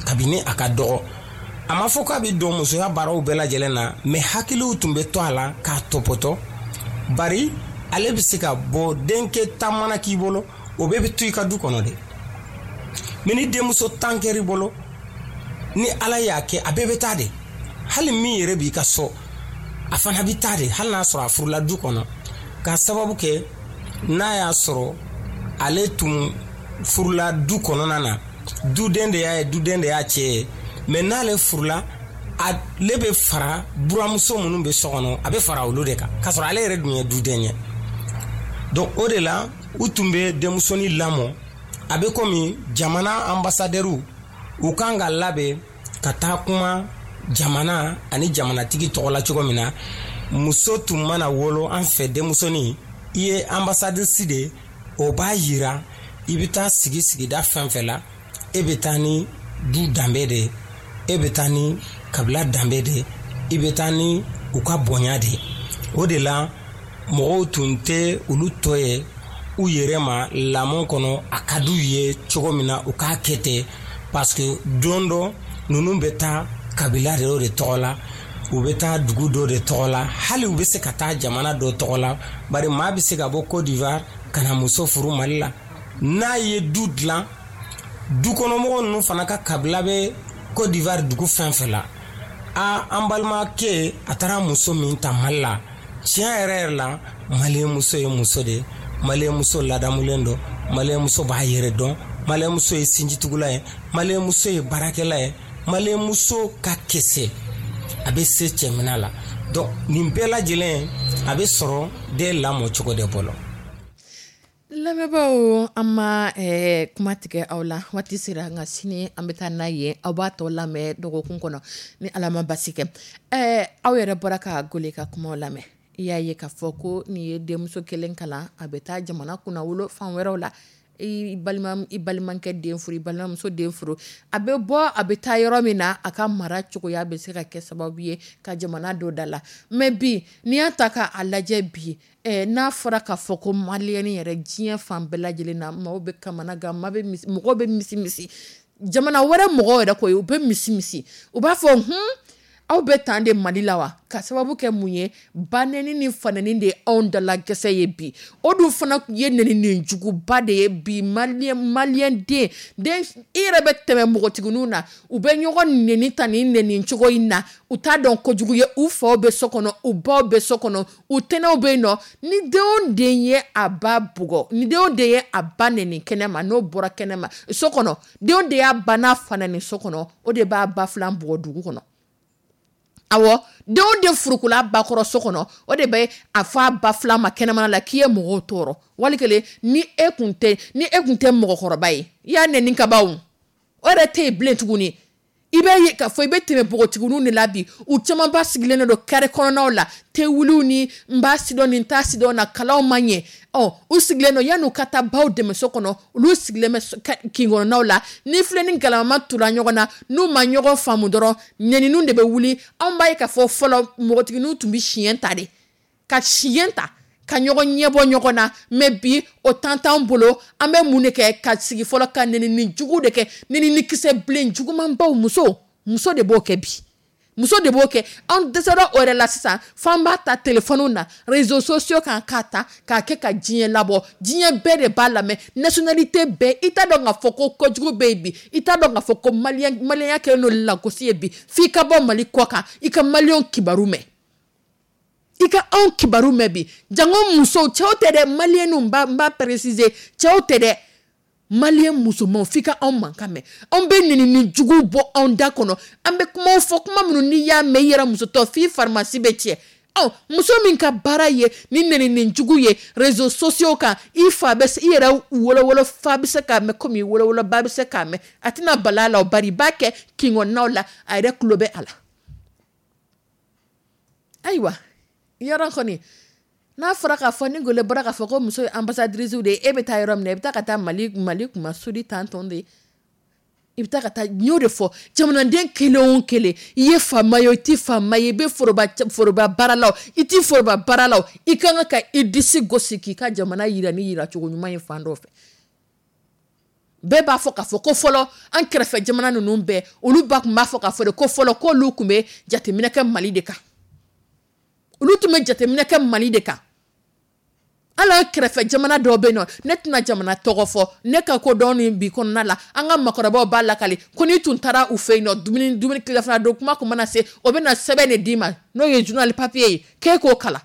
Kabini a ka dɔgɔ, a ma fɔ k'a bɛ don musoya baaraw bɛɛ lajɛlen na, mais hakiliw tun bɛ to a la k'a tɔpɔtɔ. Bari ale bɛ se ka bɔ, denkɛ tan mana k'i bolo, o bɛɛ bɛ to i ka du kɔnɔ de. Mais ni denmuso 10 kɛr'i bolo, ni Ala y'a kɛ, a bɛɛ bɛ taa de. Hali min yɛrɛ b'i ka so, a fana bɛ taa de, hali n'a sɔrɔ a furula du kɔnɔ. K'a sababu kɛ, n'a y'a sɔrɔ ale tun furula du kɔnɔna na, duden de y'a ye, duden de y'a cɛ ye. Mais n'ale furula, ale bɛ fara buramuso minnu bɛ so kɔnɔ, a bɛ fara olu de kan, k'a sɔrɔ ale yɛrɛ dun ye duden ye. Donc o de la, u tun bɛ denmusonin lamɔ a bɛ komi jamana ambassadɛriw, u kan ka labɛn ka taa kuma jamana ani jamanatigi tɔgɔ la cogo min na. Muso tun mana wolo an fɛ, denmusonin, i ye ambassadrice de. O b'a yira i bɛ taa sigi sigida fɛn fɛn la, e bɛ taa ni du danbe de ye, e bɛ taa ni kabila danbe de ye, i bɛ taa ni u ka bonya de ye. O de la, mɔgɔw tun tɛ olu tɔ ye u yɛrɛ ma lamɔ kɔnɔ, a ka d'u ye cogo min na, u k'a kɛ ten, parce que don dɔ ninnu bɛ taa kabila de o de tɔgɔ la. U bɛ taa dugu dɔ de tɔgɔ la, hali u bɛ se ka taa jamana dɔ tɔgɔ la, bari maa bɛ se ka bɔ Côte d'Ivoire ka na muso furu Mali la. N'a ye du dilan, dukɔnɔmɔgɔ ninnu fana ka kabila bɛ Côte d'Ivoire dugu fɛn fɛn la. A an balimakɛ, a taara muso min ta Mali la, tiɲɛ yɛrɛ yɛrɛ la, maliyɛn muso ye muso de ye. Maliyɛn muso ladamulen don, maliyɛn muso b'a yɛrɛ dɔn, maliyɛn muso ye sinjitugula ye, maliyɛn muso ye baarakɛla ye, maliyɛn muso ka kɛsɛ, a bɛ se cɛminɛ la. Donc nin bɛɛ lajɛlen, a bɛ sɔrɔ den lamɔ cogo de bolo. Lamɛnbaaw, an ma kuma tigɛ aw la. Waati sera, nka sini an bɛ taa n'a ye. Aw b'a tɔ lamɛn dɔgɔkun kɔnɔ ni Ala ma basi kɛ. Aw yɛrɛ bɔra ka Gole ka kumaw lamɛn. I y'a ye k'a fɔ ko nin ye denmuso kelen kalan, a bɛ taa jamana kunna wolo fan wɛrɛw la, i balima, i balimakɛ den furu, i balimamuso den furu, a bɛ bɔ, a bɛ taa yɔrɔ min na, a ka mara cogoya bɛ se ka kɛ sababu ye ka jamana don da la. Mais bi, n'i y'a ta k'a lajɛ bi, n'a fɔra k'a fɔ ko maliyɛni yɛrɛ, diɲɛ fan bɛɛ lajɛlen na, maaw bɛ kamana gan, maa bɛ mɔgɔw bɛ misi misi, jamana wɛrɛ mɔgɔw yɛrɛ ko ye, u bɛ misi misi, u b'a fɔ: "Hun, aw bɛ tan de Mali la wa?" Ka sababu kɛ mun ye? Banɛni ni fanɛni de ye anw dala gɛsɛ ye bi. O dun fana ye nɛnini juguba de ye bi. Maliyɛn den den, i yɛrɛ bɛ tɛmɛ npogotigininw na, u bɛ ɲɔgɔn nɛni ta nin nɛni cogo in na, u t'a dɔn kojugu ye. U faw bɛ so kɔnɔ, u baw bɛ so kɔnɔ, u tɛnɛw bɛ yen nɔ. Ni den o den ye a ba bugɔ, ni den o den ye a ba nɛni kɛnɛma, n'o bɔra kɛnɛma so kɔnɔ, den o den y'a ba n'a fa nɛni so kɔnɔ, o de b'a ba filan bugɔ dugu kɔnɔ. Awɔ, den o den furukula ba kɔrɔ so kɔnɔ, o de bɛ a fɔ a ba filan ma kɛnɛmana la k'i ye mɔgɔw tɔɔrɔ. Wali kelen, ni e kun tɛ mɔgɔkɔrɔba ye, i y'a nɛni ka ban, o o yɛrɛ tɛ yen bilen tuguni. I bɛ ye k'a fɔ i bɛ tɛmɛ npogotigininw de la bi, u caman ba sigilen don carré kɔnɔnaw la, tewuliw ni n b'a sidɔn ni n t'a sidɔn na, kalanw ma ɲɛ. Ɔ u sigilen don, yan'u ka taa baw dɛmɛ so kɔnɔ, olu sigilen bɛ kin kɔnɔnaw la. Ni filɛ ni galama tura ɲɔgɔn na, n'u ma ɲɔgɔn faamu dɔrɔn, nɛniniw de bɛ wuli. Anw b'a ye k'a fɔ fɔlɔ, npogotigininw tun bɛ siɲɛ ta de, ka siɲɛ ta ka ɲɔgɔn ɲɛbɔ ɲɔgɔn na. Mais bi, o temps t'an bolo. An bɛ mun de kɛ? Ka sigi fɔlɔ ka nɛnini jugu de kɛ, nɛnini kisɛ bilen jugumanbaw. Muso de b'o kɛ bi, muso de b'o kɛ. An dɛsɛra o yɛrɛ la sisan, f'an b'a ta téléphone na, réseaux sociaux kan, k'a ta k'a kɛ ka diɲɛ labɔ. Diɲɛ bɛɛ de b'a lamɛn, nationalité bɛɛ. I t'a dɔn k'a fɔ ko kojugu bɛ yen bi, i t'a dɔn k'a fɔ ko maliyɛn, maliyɛnya kɛlen don lagosi ye bi, f'i ka bɔ Mali kɔ kan, i ka maliyɛnw kibaru mɛn, i ka anw kibaru mɛn bi. Jango musow, cɛw tɛ dɛ, maliyɛnw, n b'a préciser, cɛw tɛ dɛ, maliyɛn musomanw, f'i ka anw mankan mɛn. Anw bɛ nɛnini jugu bɔ anw da kɔnɔ, an bɛ kumaw fɔ, kuma minnu n'i y'a mɛn, i yɛrɛ musotɔ, f'i farimasi bɛ tiɲɛ. Ɔ muso min ka baara ye ni nɛnini jugu ye réseaux sociaux kan, i fa bɛ i yɛrɛ wolowolo fa bɛ se k'a mɛn komi i wolowolo ba bɛ se k'a mɛn, a tɛna bala a la o, bari i b'a kɛ kin kɔnɔnaw la, a yɛrɛ tulo bɛ a la. Ayiwa, yɔrɔ kɔni n'a fɔra k'a fɔ ni Gole bɔra k'a fɔ ko muso ye ambassadrice de ye, e bɛ taa yɔrɔ min na, i bɛ taa ka taa Mali kuma sudi tantɔn de ye, i bɛ taa ka taa. N y'o de fɔ, jamanaden kelen o kelen, i ye faama ye o, i tɛ faama ye, i bɛ foroba baara la o, i tɛ foroba baara la o, i ka kan ka i disi gosi k'i ka jamana yira ni yiracogo ɲuman ye fan dɔ fɛ. Bɛɛ b'a fɔ k'a fɔ ko fɔlɔ, an kɛrɛfɛ jamana ninnu bɛɛ, olu ba tun b'a fɔ k'a fɔ de ko fɔlɔ k'olu tun bɛ jateminɛ kɛ Mali de kan, olu tun bɛ jateminɛ kɛ Mali de kan. Hali an kɛrɛfɛ jamana dɔw bɛ yen nɔ, ne tɛna jamana tɔgɔ fɔ, ne ka ko dɔn ni bi kɔnɔna la, an ka makɔrɔbaw b'a lakale ko n'i tun taara u fɛ yen nɔ, dumuni tilafana don kuma kun mana se, o bɛ na sɛbɛn de d'i ma, n'o ye journal papier ye, k'e k'o kalan.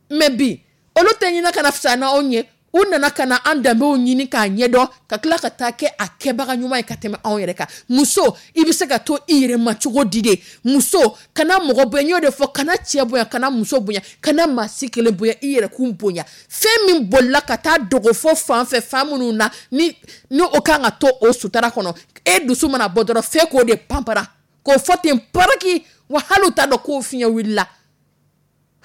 Mais bi, olu tɛ ɲinɛ ka na fisaya n'anw ye. U nana ka na an danbew ɲini k'a ɲɛdɔn, ka tila ka taa kɛ a kɛbaga ɲuman ye ka tɛmɛ anw yɛrɛ kan. Muso, i bɛ se ka to i yɛrɛ ma cogo di de? Muso, kana mɔgɔ bonya. N y'o de fɔ, kana cɛ bonya, kana muso bonya, kana maa si kelen bonya, i yɛrɛ kun bonya. Fɛn min bolila ka taa dogo fɔ fan fɛ, fan minnu na ni o kan ka to o sutara kɔnɔ, e dusu mana bɔ dɔrɔn, fɛn k'o de panpara k'o fɔ ten paraki wa. Hali u t'a dɔn k'o fiɲɛ wulila,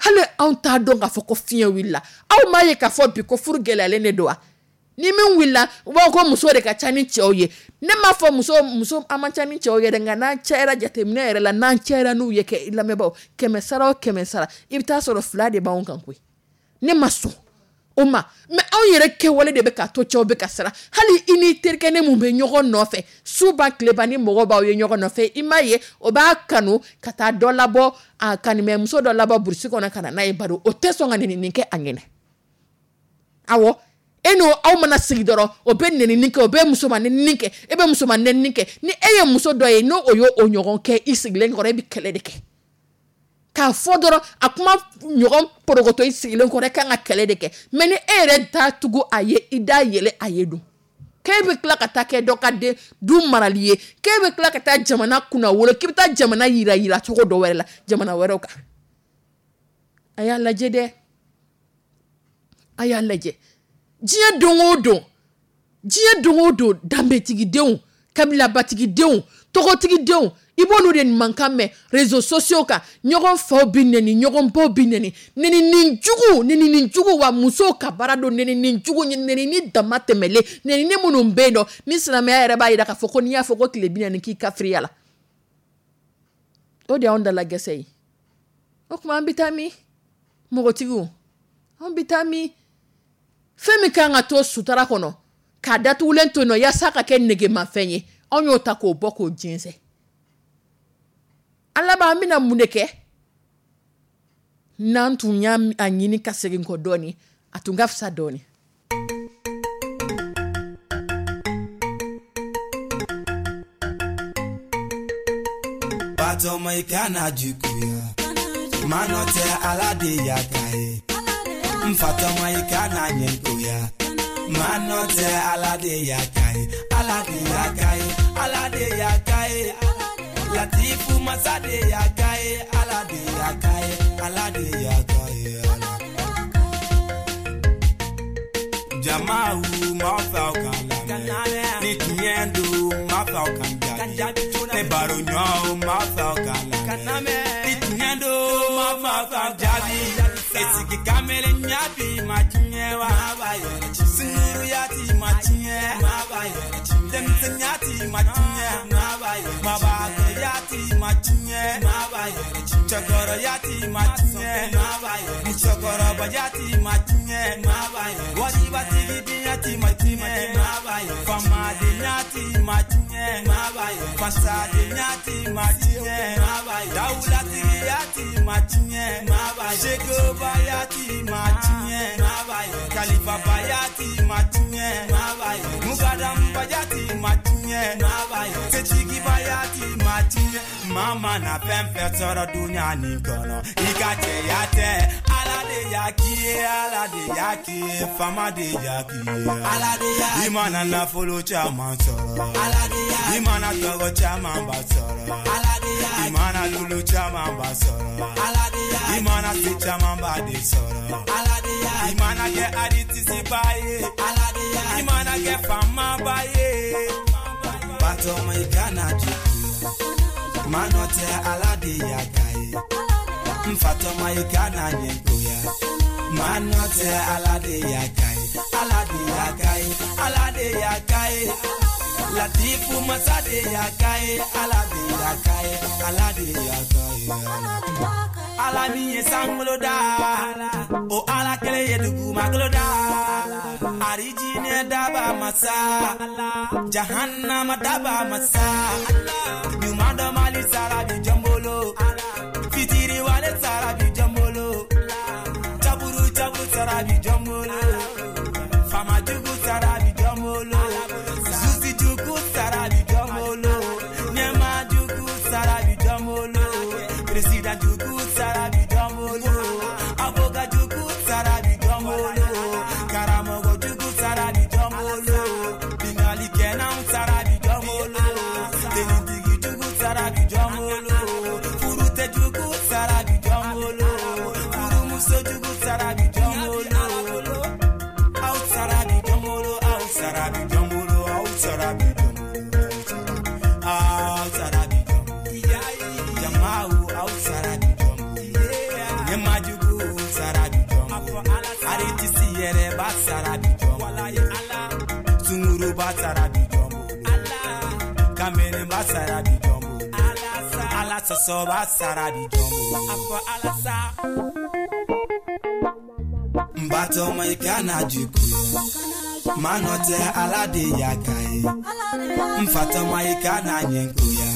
hali anw t'a dɔn k'a fɔ ko fiɲɛ wulila. Aw m'a ye k'a fɔ bi ko furu gɛlɛyalen de don wa? Ni min wulila, u b'a fɔ ko muso de ka ca ni cɛw ye. Ne m'a fɔ muso an man ca ni cɛw ye dɛ, nka n'an cayara, jateminɛ yɛrɛ la, n'an cayara n'u ye kɛ lamɛnbaaw, 100 sara o 100 sara, i bɛ taa sɔrɔ fila de b'anw kan koyi. Ne ma sɔn. O ma, mais anw yɛrɛ kɛwale de bɛ k'a to cɛw bɛ ka siran. Hali i ni terikɛ ne mun bɛ ɲɔgɔn nɔfɛ suba tileba, ni mɔgɔ b'aw ye ɲɔgɔn nɔfɛ, i m'a ye, o b'a kanu ka taa dɔ labɔ, a kanimɛmuso dɔ labɔ burusi kɔnɔ ka na n'a ye, bari o tɛ sɔn ka nɛnini kɛ a ɲɛnɛ. Awɔ, e n'o aw mana sigi dɔrɔn, o bɛ nɛnini kɛ, o bɛ musoman nɛnini kɛ, e bɛ musoman nɛnini kɛ. Ni e ye muso dɔ ye, n'o o y'o ɲɔgɔn kɛ i sigilen kɔrɔ, e bɛ kɛlɛ de kɛ. K'a fɔ dɔrɔn a kuma ɲɔgɔn porokoto i sigilen kɔrɔ, e kan ka kɛlɛ de kɛ. Mais ni e yɛrɛ t'a tugu a ye, i da yɛlɛ a ye dun, k'e bɛ tila ka taa kɛ dɔ ka den du marali ye, k'e bɛ tila ka taa jamana kunna wolo, k'e bɛ taa jamana yira yira cogo dɔ wɛrɛ la, jamana wɛrɛw kan. A y'a lajɛ dɛ, a y'a lajɛ. Diɲɛ don o don, diɲɛ don o don, danbetigidenw, kabilabatigidenw, tɔgɔtigidenw, i b'olu de mankan mɛn réseaux sociaux kan. Ɲɔgɔn faw bɛ nɛni, ɲɔgɔn baw bɛ nɛni, nɛnini jugu, nɛnini jugu. Wa musow ka baara don nɛnini jugu, nɛnini dama tɛmɛlen, nɛnini minnu bɛ yen nɔ, ni silamɛya yɛrɛ b'a jira k'a fɔ ko n'i y'a fɔ ko tile 40 k'i kafiriya la, o de y'anw dala gɛsɛ ye. O tuma an bɛ taa min? Mɔgɔtigiw, an bɛ taa min? Fɛn min kan ka to sutara kɔnɔ k'a datugulen to yen nɔ yaasa ka kɛ negemafɛn ye, anw y'o ta k'o bɔ k'o jɛnsɛn. An laban, an bɛna mun de kɛ? N'an tun y'a ɲini ka segin kɔ dɔɔnin, a tun ka fisa dɔɔnin. Batɔma, i kana juguya, manɔ tɛ, Ala de y'a k'a ye. N fatɔma, i kana ɲɛngoya, manɔ tɛ, Ala de y'a k'a ye. Ala de y'a k'a ye, Ala de y'a k'a ye, Latifu masa de y'a k'a ye. Ala de y'a k'a ye, Ala de y'a k'a ye. Ala jamaw ma fɛ aw kan lamɛn, ni tiɲɛ don ma fɛ aw kan jaabi, ne baro ɲɔgɔn ma fɛ aw kan lamɛn, ni tiɲɛ don ma fɛ aw kan jaabi. Esigi kamalen ɲabi ma tiɲɛ wa, sunkuruya ti ma tiɲɛ, denmisɛnya ti ma tiɲɛ, mabakɔrɔya ti ma tiɲɛ, cɛkɔrɔya ti ma tiɲɛ, musokɔrɔbaya ti ma tiɲɛ, waribatigi ti ma tiɲɛ, famadenya ti ma tiɲɛ, fasadenya ti ma tiɲɛ, dawulatigiya ti ma tiɲɛ, sekobaya ti ma tiɲɛ, kalifabaya ti ma tiɲɛ, mukadambaya ti ma tiɲɛ, setigibaya ti ma tiɲɛ. Mama na fɛn fɛn sɔrɔ dunuya nin kɔnɔ, i ka cɛya tɛ, Ala de y'a k'i ye, Ala de y'a k'i ye, faama de y'a k'i ye, Ala de y'a. I mana nafolo caman sɔrɔ, Ala de y'a. I mana tɔgɔ caman ba sɔrɔ, Ala de y'a. I mana lulu caman ba sɔrɔ, Ala de y'a. I mana se caman ba de sɔrɔ, Ala de y'a. I mana kɛ aritisiba ye, Ala de y'a. I mana kɛ faamaba ye. Batɔma, i kana juguya, manɔ tɛ, Ala de y'a k'a ye. N fatɔma, i kana ɲɛngoya, manɔ tɛ, Ala de y'a k'a ye. Ala de y'a k'a ye, Ala de y'a k'a ye, Latifu masa de y'a k'a ye. Ala de y'a k'a ye, Ala de y'a k'a ye. Ala min ye sankolo da, o Ala kelen ye dugumakolo da, arijinɛ daba masa, jahannama daba masa, ɲuman dɔ mali sara bi jɔn bolo, fitiriwale sara bi jɔn bolo, caburu caburu sara bi jɔn bolo, famajugu sara bi jɔn bolo, susi jugu sara bi jɔn bolo, ɲɛma jugu sara bi jɔn bolo, président jugu sara bi jɔn bolo, avocat jugu sara bi jɔn bolo, karamɔgɔ jugu sara bi jɔn bolo, bingalikɛlaw sara bi jɔn bolo, tenitigi jugu sara bi jɔn bolo, furutɛ jugu sara bi jɔn bolo, furumuso jugu sara bi jɔn bolo, aw sara bi jɔn bolo, aw sara bi jɔn bolo, aw sara bi jɔn bolo, aw sara bi jɔn bolo, jamaw aw sara bi jɔn bolo, ɲɛmajugu sara bi jɔn bolo, aritisi yɛrɛ b'a sara bi jɔn bolo, sunguruba sara bi jɔn bolo, kamelenba sara bi jɔn bolo, Ala sɔsɔba sara bi jɔn bolo. N batɔma. Nfatɔma i kana juguya, manɔ tɛ Ala de y'a ka ye. Nfatɔma i kana ɲɛngoya,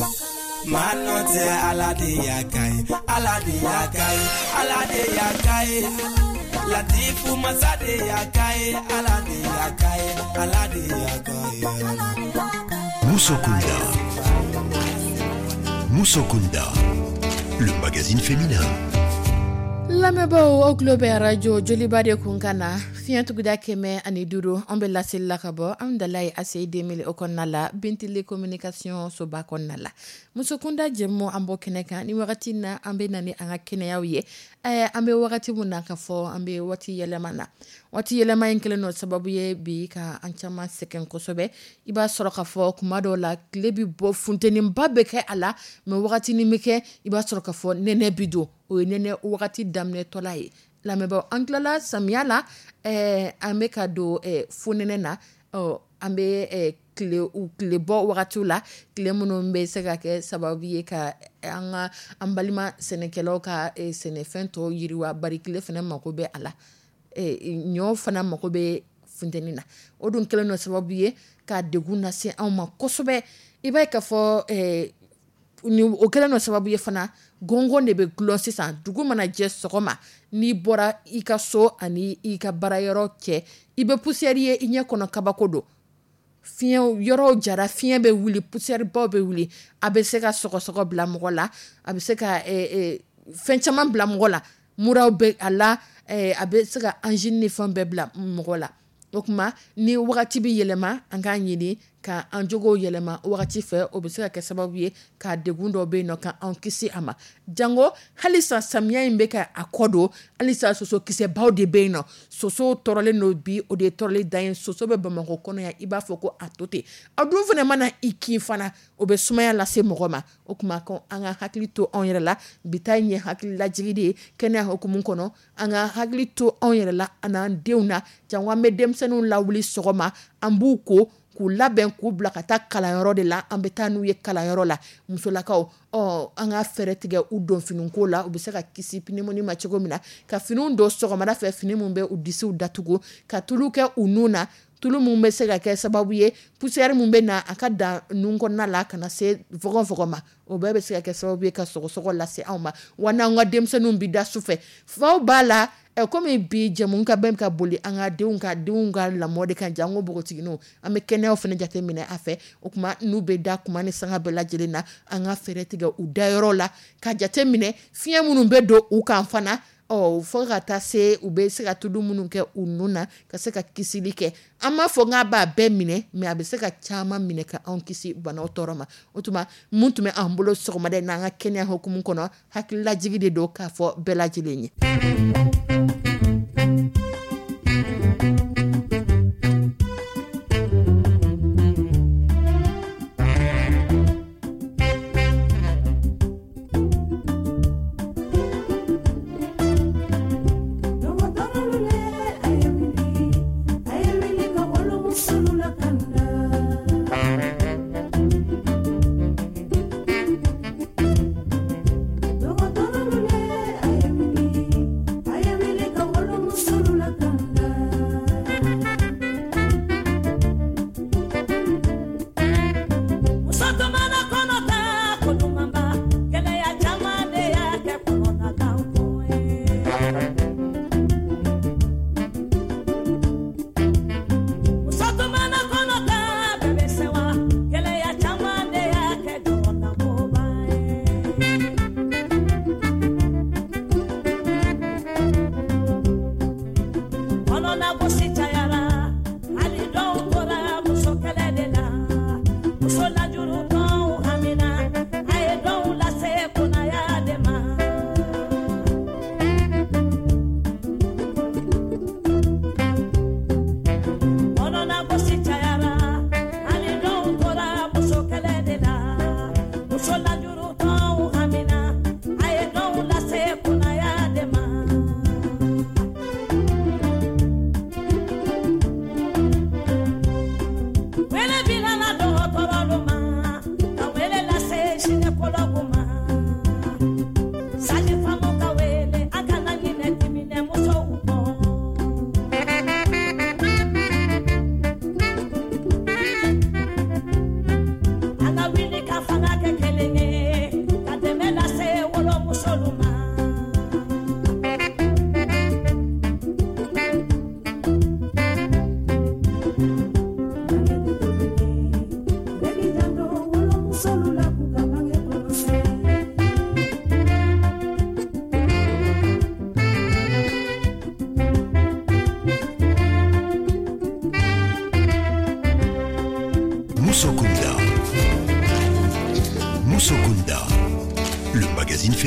manɔ tɛ Ala de y'a ka ye. Ala de y'a ka ye, Ala de y'a ka ye. Latifu masa de y'a ka ye, Ala de y'a ka ye, Ala de y'a ka ye. Musokunda. Musokunda. Le magazine féminin. Lamɛnbaaw, aw tulo bɛ arajo Joliba de kun kan na, fiɲɛ tuguda 105. An bɛ laseli la ka bɔ an dala ye ACI 2000 o kɔnɔna la, Bintili communication soba kɔnɔna la. Musokunda jɛmu, an bɔ kɛnɛ kan ni wagati na, an bɛ na ni an ka kɛnɛyaw ye. An bɛ wagati mun na ka fɔ an bɛ waati yɛlɛma na, waati yɛlɛma in kɛlen don sababu ye bi ka an caman sɛgɛn kosɛbɛ. I b'a sɔrɔ ka fɔ kuma dɔw la, tile bɛ bɔ, funteniba bɛ kɛ a la, mɛ wagati bɛ kɛ, i b'a sɔrɔ ka fɔ nɛnɛ bi don, o ye nɛnɛ wagati daminɛtɔla ye. Lamɛnbaaw, an tilala samiya la, an bɛ ka don fonɛnɛ na. An bɛ tile tile bɔ wagatiw la, tile minnu bɛ se ka kɛ sababu ye ka an ka an balima sɛnɛkɛlaw ka sɛnɛfɛn tɔw yiriwa, bari tile fana mako bɛ a la, ɲɔ fana mako bɛ funteni na. O dun kɛlen don sababu ye ka degun lase anw ma kosɛbɛ. I b'a ye k'a fɔ o kɛlen don sababu ye fana, gɔngɔn de bɛ gulon sisan. Dugu mana jɛ sɔgɔma, n'i bɔra i ka so ani i ka baarayɔrɔ cɛ, i bɛ poussière ye i ɲɛ kɔnɔ, kabako don. Fiɲɛ yɔrɔw jara, fiɲɛ bɛ wuli, poussière baw bɛ wuli. A bɛ se ka sɔgɔsɔgɔ bila mɔgɔ la, a bɛ se ka fɛn caman bila mɔgɔ la, muraw bɛ a la, a bɛ se ka angine ni fɛn bɛɛ bila mɔgɔ la. O tuma ni wagati bɛ yɛlɛma, an k'an ɲini ka an jogow yɛlɛma wagati fɛ. O bɛ se ka kɛ sababu ye ka degun dɔw bɛ yen nɔ, ka an kisi a ma. Jango halisa samiya in bɛ ka a kɔ don, halisa sosokisɛbaw de bɛ yen nɔ. Sosow tɔɔrɔlen don bi, o de ye tɔɔrɔli dan ye. Soso bɛ Bamakɔ kɔnɔ yan, i b'a fɔ ko a to ten. A dun fana mana i kin fana, o bɛ sumaya lase mɔgɔ ma. O tuma ko an ka hakili to anw yɛrɛ la. Bi ta in ye hakili lajigi de ye kɛnɛya hukumu kɔnɔ. An ka hakili to anw yɛrɛ la an'an denw na. Jango an bɛ denmisɛnninw lawuli sɔgɔma, an b'u ko k'u labɛn k'u bila ka taa kalanyɔrɔ de la, an bɛ taa n'u ye kalanyɔrɔ la. Musolakaw, ɔ an ka fɛɛrɛ tigɛ u don finiko la, u bɛ se ka kisi pneumonie ma cogo min na, ka finiw don sɔgɔmada fɛ, fini min bɛ u disiw datugu, ka tulu kɛ u nun na, tulu min bɛ se ka kɛ sababu ye poussière min bɛ na, a ka dan nun kɔnɔna la, ka na se fɔgɔnfɔgɔn ma. O bɛɛ bɛ se ka kɛ sababu ye ka sɔgɔsɔgɔ lase anw ma. Wa n'an ka denmisɛnninw bɛ da su fɛ, faw b'a la. Komi bi jɛmu ka bɛn ka boli an ka denw ka lamɔ de kan, jango npogotigininw, an bɛ kɛnɛyaw fana jate minɛ a fɛ. O tuma n'u bɛ da kuma ni sanga bɛɛ lajɛlen na, an ka fɛɛrɛ tigɛ u dayɔrɔ la, ka jate minɛ fiɲɛ minnu bɛ don u kan fana, ɔ fo ka taa se u bɛ se ka tulu minnu kɛ u nun na, ka se ka kisili kɛ. An m'a fɔ k'a b'a bɛɛ minɛ, mais a bɛ se ka caman minɛ ka anw kisi banaw tɔɔrɔ ma. O tuma mun tun bɛ an bolo sɔgɔmada in na, an ka kɛnɛya hukumu kɔnɔ, hakililajigi de don k'a fɔ bɛɛ lajɛlen ye.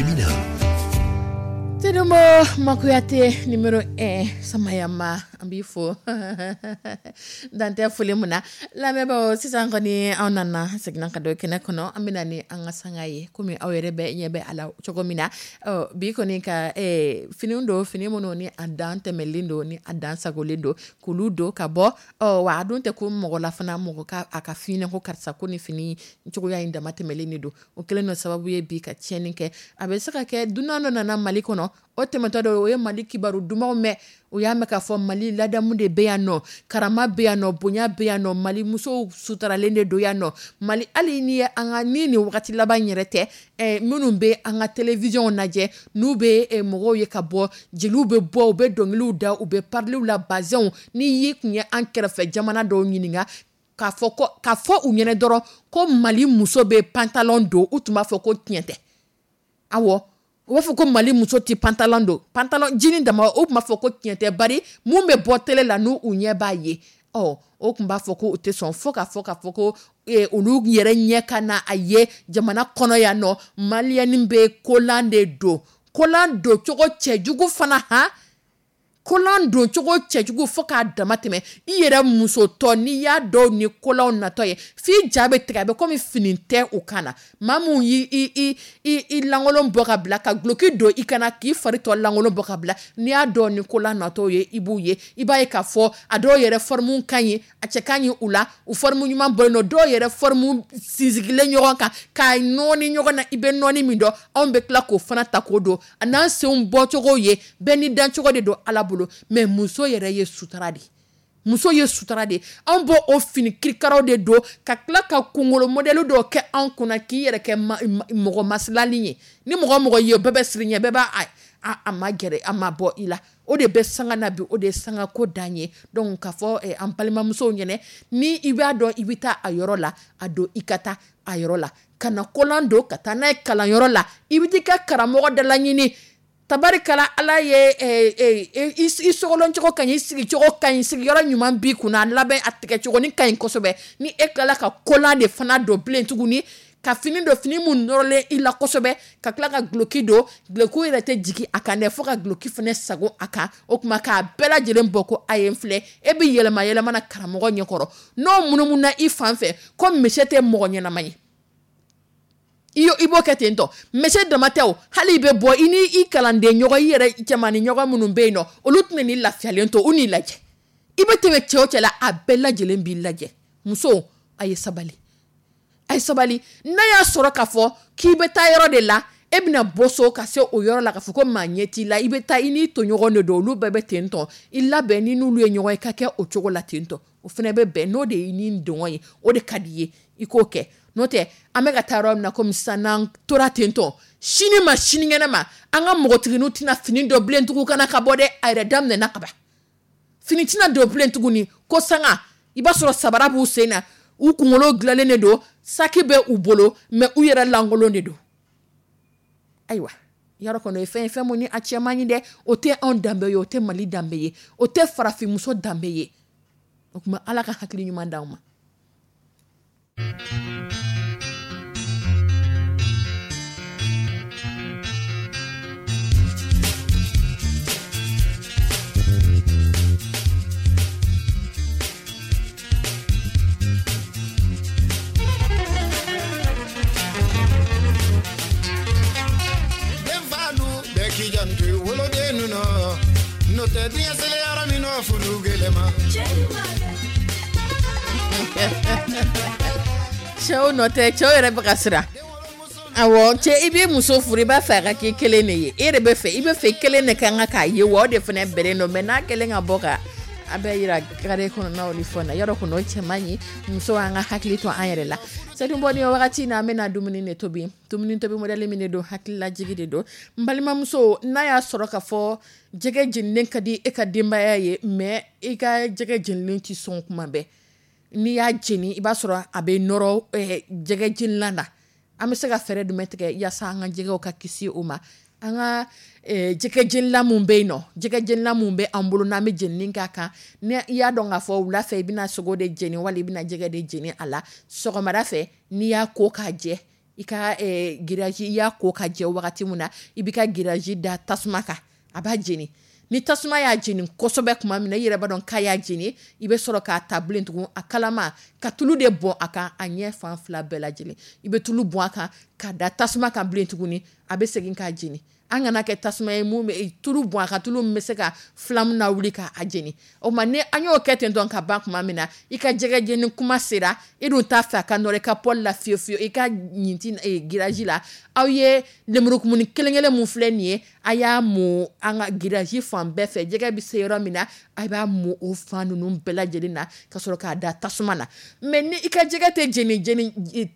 féminin. Seydou Makuyate numéro 1 Samayama an b'i fo dan tɛ foli mun na lamɛnbaaw sisan kɔni anw nana seginna ka don kɛnɛ kɔnɔ an bɛna ni an ka sanga ye komi aw yɛrɛ bɛ ɲɛ bɛ a la cogo min na bi kɔni ka fini don fini minnu ni a dan tɛmɛlen don ni a dan sagolen don k'olu don ka bɔ wa a dun tɛ ko mɔgɔ la fana mɔgɔ ka a ka fini ko karisa ko ni fini cogoya in dama tɛmɛlen de don o kɛlen don sababu ye bi ka tiɲɛni kɛ a bɛ se ka kɛ dunan dɔ nana Mali kɔnɔ o tɛmɛtɔ dɔ o ye Mali kibaru dumanw mɛn o y'a mɛn k'a fɔ Mali ladamu de bɛ yan nɔ karama bɛ yan nɔ bonya bɛ yan nɔ Mali musow sutaralen de don yan nɔ Mali hali ni ye an ka ni nin wagati laban yɛrɛ tɛ minnu bɛ an ka télévision lajɛ n'u bɛ mɔgɔw ye ka bɔ jeliw bɛ bɔ u bɛ dɔnkiliw da u bɛ pariliw la bazɛnw n'i y'i kun ye an kɛrɛfɛ jamana dɔw ɲininka k'a fɔ u ɲɛna dɔrɔn ko Mali muso bɛ pantalon don u tun b'a fɔ ko tiɲɛ tɛ awɔ u b'a fɔ ko Mali muso tɛ pantalon don pantalon jini dama u tun b'a fɔ ko tiɲɛ tɛ bari mun bɛ bɔ télé la n'u u ɲɛ b'a ye ɔ o tun b'a fɔ ko u tɛ sɔn fo k'a fɔ ko olu yɛrɛ ɲɛ ka na a ye jamana kɔnɔ yan nɔ maliyɛni bɛ kolan de don kolan don cogo cɛjugu fana han kolan don cogo cɛjugu fo k'a dama tɛmɛ i yɛrɛ musotɔ n'i y'a dɔw ni kolanw natɔ ye f'i ja bɛ tigɛ a bɛ komi fini tɛ u kan na maa mun y'i i lankolon bɔ ka bila ka duloki don i kana k'i fari tɔ lankolon bɔ ka bila n'i y'a dɔw ni kolan natɔ ye i b'u ye i b'a ye k'a fɔ a dɔw yɛrɛ forme ka ɲi a cɛ ka ɲi u la u forme ɲuman bɔlen don dɔw yɛrɛ forme sinsigilen ɲɔgɔn kan k'a nɔɔni ɲɔgɔn na i bɛ nɔɔni min dɔn anw bɛ tila k'o fana ta k'o don a n'an senw bɔcogo ye bɛɛ ni dancogo de don Ala bolo mais muso yɛrɛ ye sutura de muso ye sutura de anw b'o o fini kirikaraw de don ka tila ka kunkolo modèle dɔw kɛ anw kunna k'i yɛrɛ kɛ mɔgɔ masilalen ye ni mɔgɔ ye bɛɛ bɛ siran ɲɛ bɛɛ b'a a ma gɛrɛ a ma bɔ i la o de bɛ sanga na bi o de ye sanga ko dan ye donc k'a fɔ an balimamusow ɲɛnɛ ni i b'a dɔn i bɛ taa a yɔrɔ la a don i ka taa a yɔrɔ la ka na kolan don ka taa n'a ye kalanyɔrɔ la i bɛ t'i ka karamɔgɔ da laɲini tabarikala Ala ye i sogolon cogo ka ɲi i sigicogo ka ɲi sigiyɔrɔ ɲuman b'i kunna a labɛn a tigɛcogo ka ɲi kosɛbɛ ni e tilala ka kolan de fana don bilen tuguni ka fini don fini mun nɔrɔlen i la kosɛbɛ ka tila ka duloki don duloki yɛrɛ tɛ jigin a kan dɛ fo ka duloki fana sago a kan o tuma k'a bɛɛ lajɛlen bɔ ko a ye n filɛ e bɛ yɛlɛma yɛlɛma na karamɔgɔ ɲɛkɔrɔ n'o munumunu i fan fɛ ko misi tɛ mɔgɔ ɲɛnama ye i b'o kɛ ten tɔ mese dama tɛ o hali i bɛ bɔ i ni i kalanden ɲɔgɔn i yɛrɛ cɛmannin ɲɔgɔn minnu bɛ yen nɔ olu tɛna n'i lafiyalen to u n'i lajɛ i bɛ tɛmɛ cɛ o cɛ la a bɛɛ lajɛlen b'i lajɛ muso a ye sabali a ye sabali n'a y'a sɔrɔ k'a fɔ k'i bɛ taa yɔrɔ de la e bɛna bɔ so ka se o yɔrɔ la k'a fɔ ko maa ɲɛ t'i la i bɛ taa i n'i tɔɲɔgɔn de don olu bɛɛ bɛ ten tɔ i labɛn ni n'olu ye ɲɔgɔn ye ka kɛ o cogo la ten tɔ o fana bɛ bɛn n'o de ye ni dɔngɔ ye o de ka di i ye i k'o kɛ n'o tɛ an bɛ ka taa yɔrɔ min na komi sisan n'an tora ten tɔ sini ma sinikɛnɛ ma an ka npogotigininw tɛna fini dɔ bilen tugun kana ka bɔ dɛ a yɛrɛ daminɛna ka ban fini tɛna don bilen tuguni ko sanga i b'a sɔrɔ sabara b'u sen na u kunkolo dilanlen de don saki bɛ u bolo mais u yɛrɛ lankolon de don ayiwa yɔrɔ kɔni o ye fɛn ye fɛn mun ni a cɛ man ɲi dɛ o tɛ anw danbe ye o tɛ Mali danbe ye o tɛ farafinmuso danbe ye o tuma Ala ka hakili ɲuman d'anw ma. Cɛw nɔ tɛ cɛw yɛrɛ bɛ ka siran awɔ cɛ i b'i muso furu i b'a fɛ a ka k'i kelen de ye e de bɛ fɛ i bɛ fɛ kelen de ka kan k'a ye wa o de fana bɛnnen don mais n'a kɛlen ka bɔ ka a bɛ yira carré kɔnɔnaw ni fɛnw na yɔrɔ kɔni o cɛ man ɲi muso an ka hakili to an yɛrɛ la Seydou Bɔ ni wagati in na an bɛna dumuni de tobi dumuni tobi modèle min de don hakililajigi de don n balimamuso n'a y'a sɔrɔ k'a fɔ jɛgɛ jeninen ka di e ka denbaya ye mais i ka jɛgɛ jeninen tɛ sɔn kuma bɛɛ n'i y'a jeni i b'a sɔrɔ a bɛ nɔrɔ jɛgɛ jenilan na an bɛ se ka fɛɛrɛ jumɛn tigɛ yaasa an ka jɛgɛw ka kisi o ma an ka jɛgɛ jenilan mun bɛ yen nɔ jɛgɛ jenilan mun bɛ an bolo n'an bɛ jenini k'a kan ni i y'a dɔn k'a fɔ wula fɛ i bɛna sogo de jeni wali i bɛna jɛgɛ de jeni a la sɔgɔmada fɛ n'i y'a ko k'a jɛ I ka grillage, i y'a ko ka jɛ wagati min na, i b'i ka grillage da tasuma kan, a b'a jeni. Ni tasuma y'a jeni kosɛbɛ tuma min na, i yɛrɛ b'a dɔn k'a y'a jeni, i bɛ sɔrɔ k'a ta bilen tugun a kalama ka tulu de bɔn a kan, a ɲɛ fan fila bɛɛ lajɛlen. I bɛ tulu bɔn a kan ka da tasuma kan bilen tuguni, a bɛ segin k'a jeni. An kana kɛ tasuma ye mun bɛ tulu bɔn a kan, tulu min bɛ se ka flamme lawuli k'a jeni. O tuma ni an y'o kɛ ten tɔn ka ban tuma min na, i ka jɛgɛ jeni kuma sera, i dun t'a fɛ a ka nɔrɔ i ka poêle la fiyewu fiyewu, i ka ɲintin grillage la. Aw ye lemurukumuni kelen kelen mun filɛ nin ye, a y'a mun an ka grillage fan bɛɛ fɛ. Jɛgɛ bɛ se yɔrɔ min na, a b'a mun o fan ninnu bɛɛ lajɛlen na ka sɔrɔ k'a da tasuma na. Mais ni i ka jɛgɛ tɛ jeni jeni,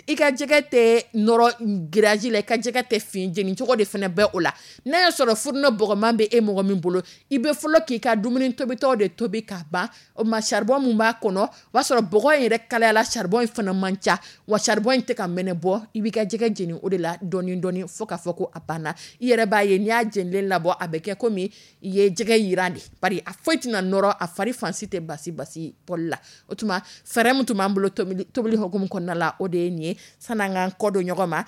i ka jɛgɛ tɛ nɔrɔ grillage la, i ka jɛgɛ tɛ fin, jeni cogo de fana bɛ o la. N'a y'a sɔrɔ fourneau bɔgɔman bɛ e mɔgɔ min bolo, i bɛ fɔlɔ k'i ka dumuni tobitɔ de tobi k'a ban. O ma charbon mun b'a kɔnɔ, o b'a sɔrɔ bɔgɔ in yɛrɛ kalayala, charbon in fana man ca, wa charbon in tɛ ka mɛnɛ bɔ. I b'i ka jɛgɛ jeni o de la dɔɔni dɔɔni fo k'a fɔ ko a banna. I yɛrɛ b'a ye n'i y'a jenilen labɔ, a bɛ kɛ komi i ye jɛgɛ yiran de, bari a foyi tɛna nɔrɔ, a fari fansi tɛ basi basi poêle la. O tuma fɛɛrɛ min tun b'an bolo tobili hukumu kɔnɔna la, o de ye nin ye. San'an k'an kɔ don ɲɔgɔn ma,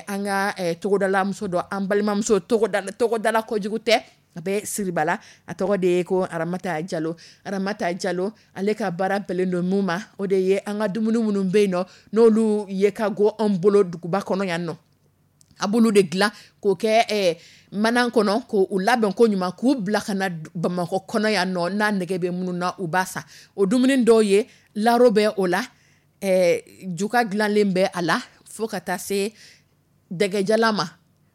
an ka togodala muso dɔ, an balimamuso, togodala kojugu tɛ, a bɛ Siribala, a tɔgɔ de ye ko Aramata Jalo. Aramata Jalo, ale ka baara bɛnnen don mun ma, o de ye an ka dumuni minnu bɛ yen nɔ, n'olu ye ka go an bolo duguba kɔnɔ yan nɔ, a b'olu de dilan k'o kɛ mana kɔnɔ, k'o labɛn ko ɲuman, k'u bila ka na Bamakɔ kɔnɔ yan nɔ. N'a nɛgɛ bɛ minnu na, u b'a san. O dumuni dɔw ye laro bɛ o la, juga dilanlen bɛ a la, fo ka taa se dɛgɛjalan ma.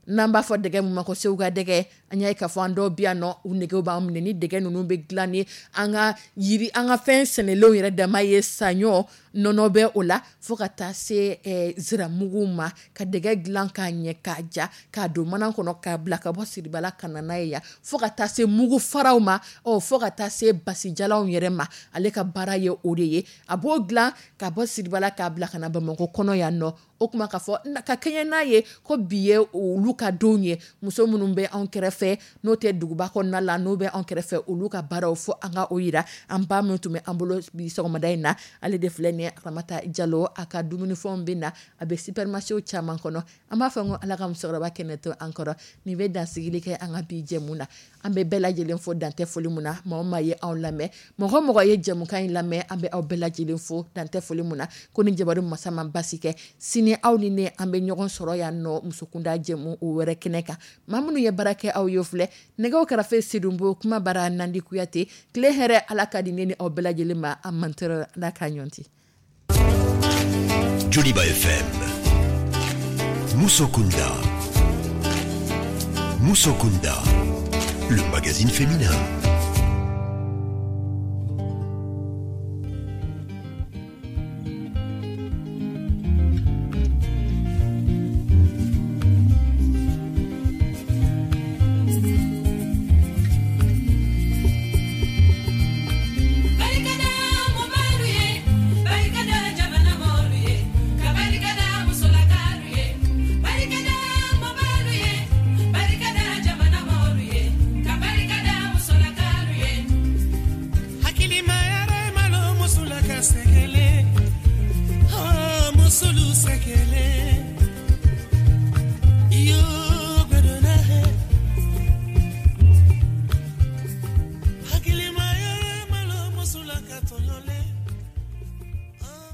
N'an b'a fɔ dɛgɛ min ma ko Segu ka dɛgɛ, an y'a ye k'a fɔ an dɔw bɛ yan nɔ, u negew b'an minɛ ni dɛgɛ ninnu bɛ dilan ni an ka yiri, an ka fɛn sɛnɛlenw yɛrɛ dama ye, saɲɔ nɔnɔ bɛ o la, fo ka taa se ziramugu ma, ka dɛgɛ dilan k'a ɲɛ k'a ja, k'a don mana kɔnɔ, k'a bila ka bɔ Siribala ka na n'a ye yan, fo ka taa se mugu faraw ma, fo ka taa se basijalanw yɛrɛ ma. Ale ka baara ye o de ye, a b'o dilan ka bɔ Siribala k'a bila ka na Bamakɔ kɔnɔ yan nɔ. O kuma k'a fɔ ka kɛɲɛ n'a ye ko bi ye olu ka don ye, muso minnu bɛ anw kɛrɛfɛ, n'o tɛ duguba kɔnɔna la, n'o bɛ anw kɛrɛfɛ, olu ka baaraw fo an ka o yira. An ba min tun bɛ an bolo bi sɔgɔmada in na, ale de filɛ nin ye, Aramata Jalo. A ka dumunifɛnw bɛ na, a bɛ supermarché caman kɔnɔ. An b'a fɔ ko Ala ka musokɔrɔba kɛnɛ to an kɔrɔ. Nin bɛ dansigili kɛ an ka bi jɛmu na. An bɛ bɛɛ lajɛlen fo dantɛ foli mun na. Maa o maa ye anw lamɛn, mɔgɔ mɔgɔ ye jɛmukan in lamɛn, an bɛ aw bɛɛ lajɛlen fo dantɛ foli mun na. Ko ni jabaru masa ma basi kɛ, sini aw ni ne an bɛ ɲɔgɔn sɔrɔ yan nɔ musokunda jɛmu o wɛrɛ kɛnɛ kan. Maa minnu ye baara kɛ, aw ye filɛ nɛgɛw kɛrɛfɛ, Sidunbo kuma bara Nandi Kuyate. Tile hɛrɛ Ala ka di ne ni aw bɛɛ lajɛlen ma. An mantɔrɔ Ala k'a ɲɔnti. Joliba FM, Musokunda. Musokunda, le magazine féminin. Hakili ma yɛrɛ malo musola ka tɔɲɔlen.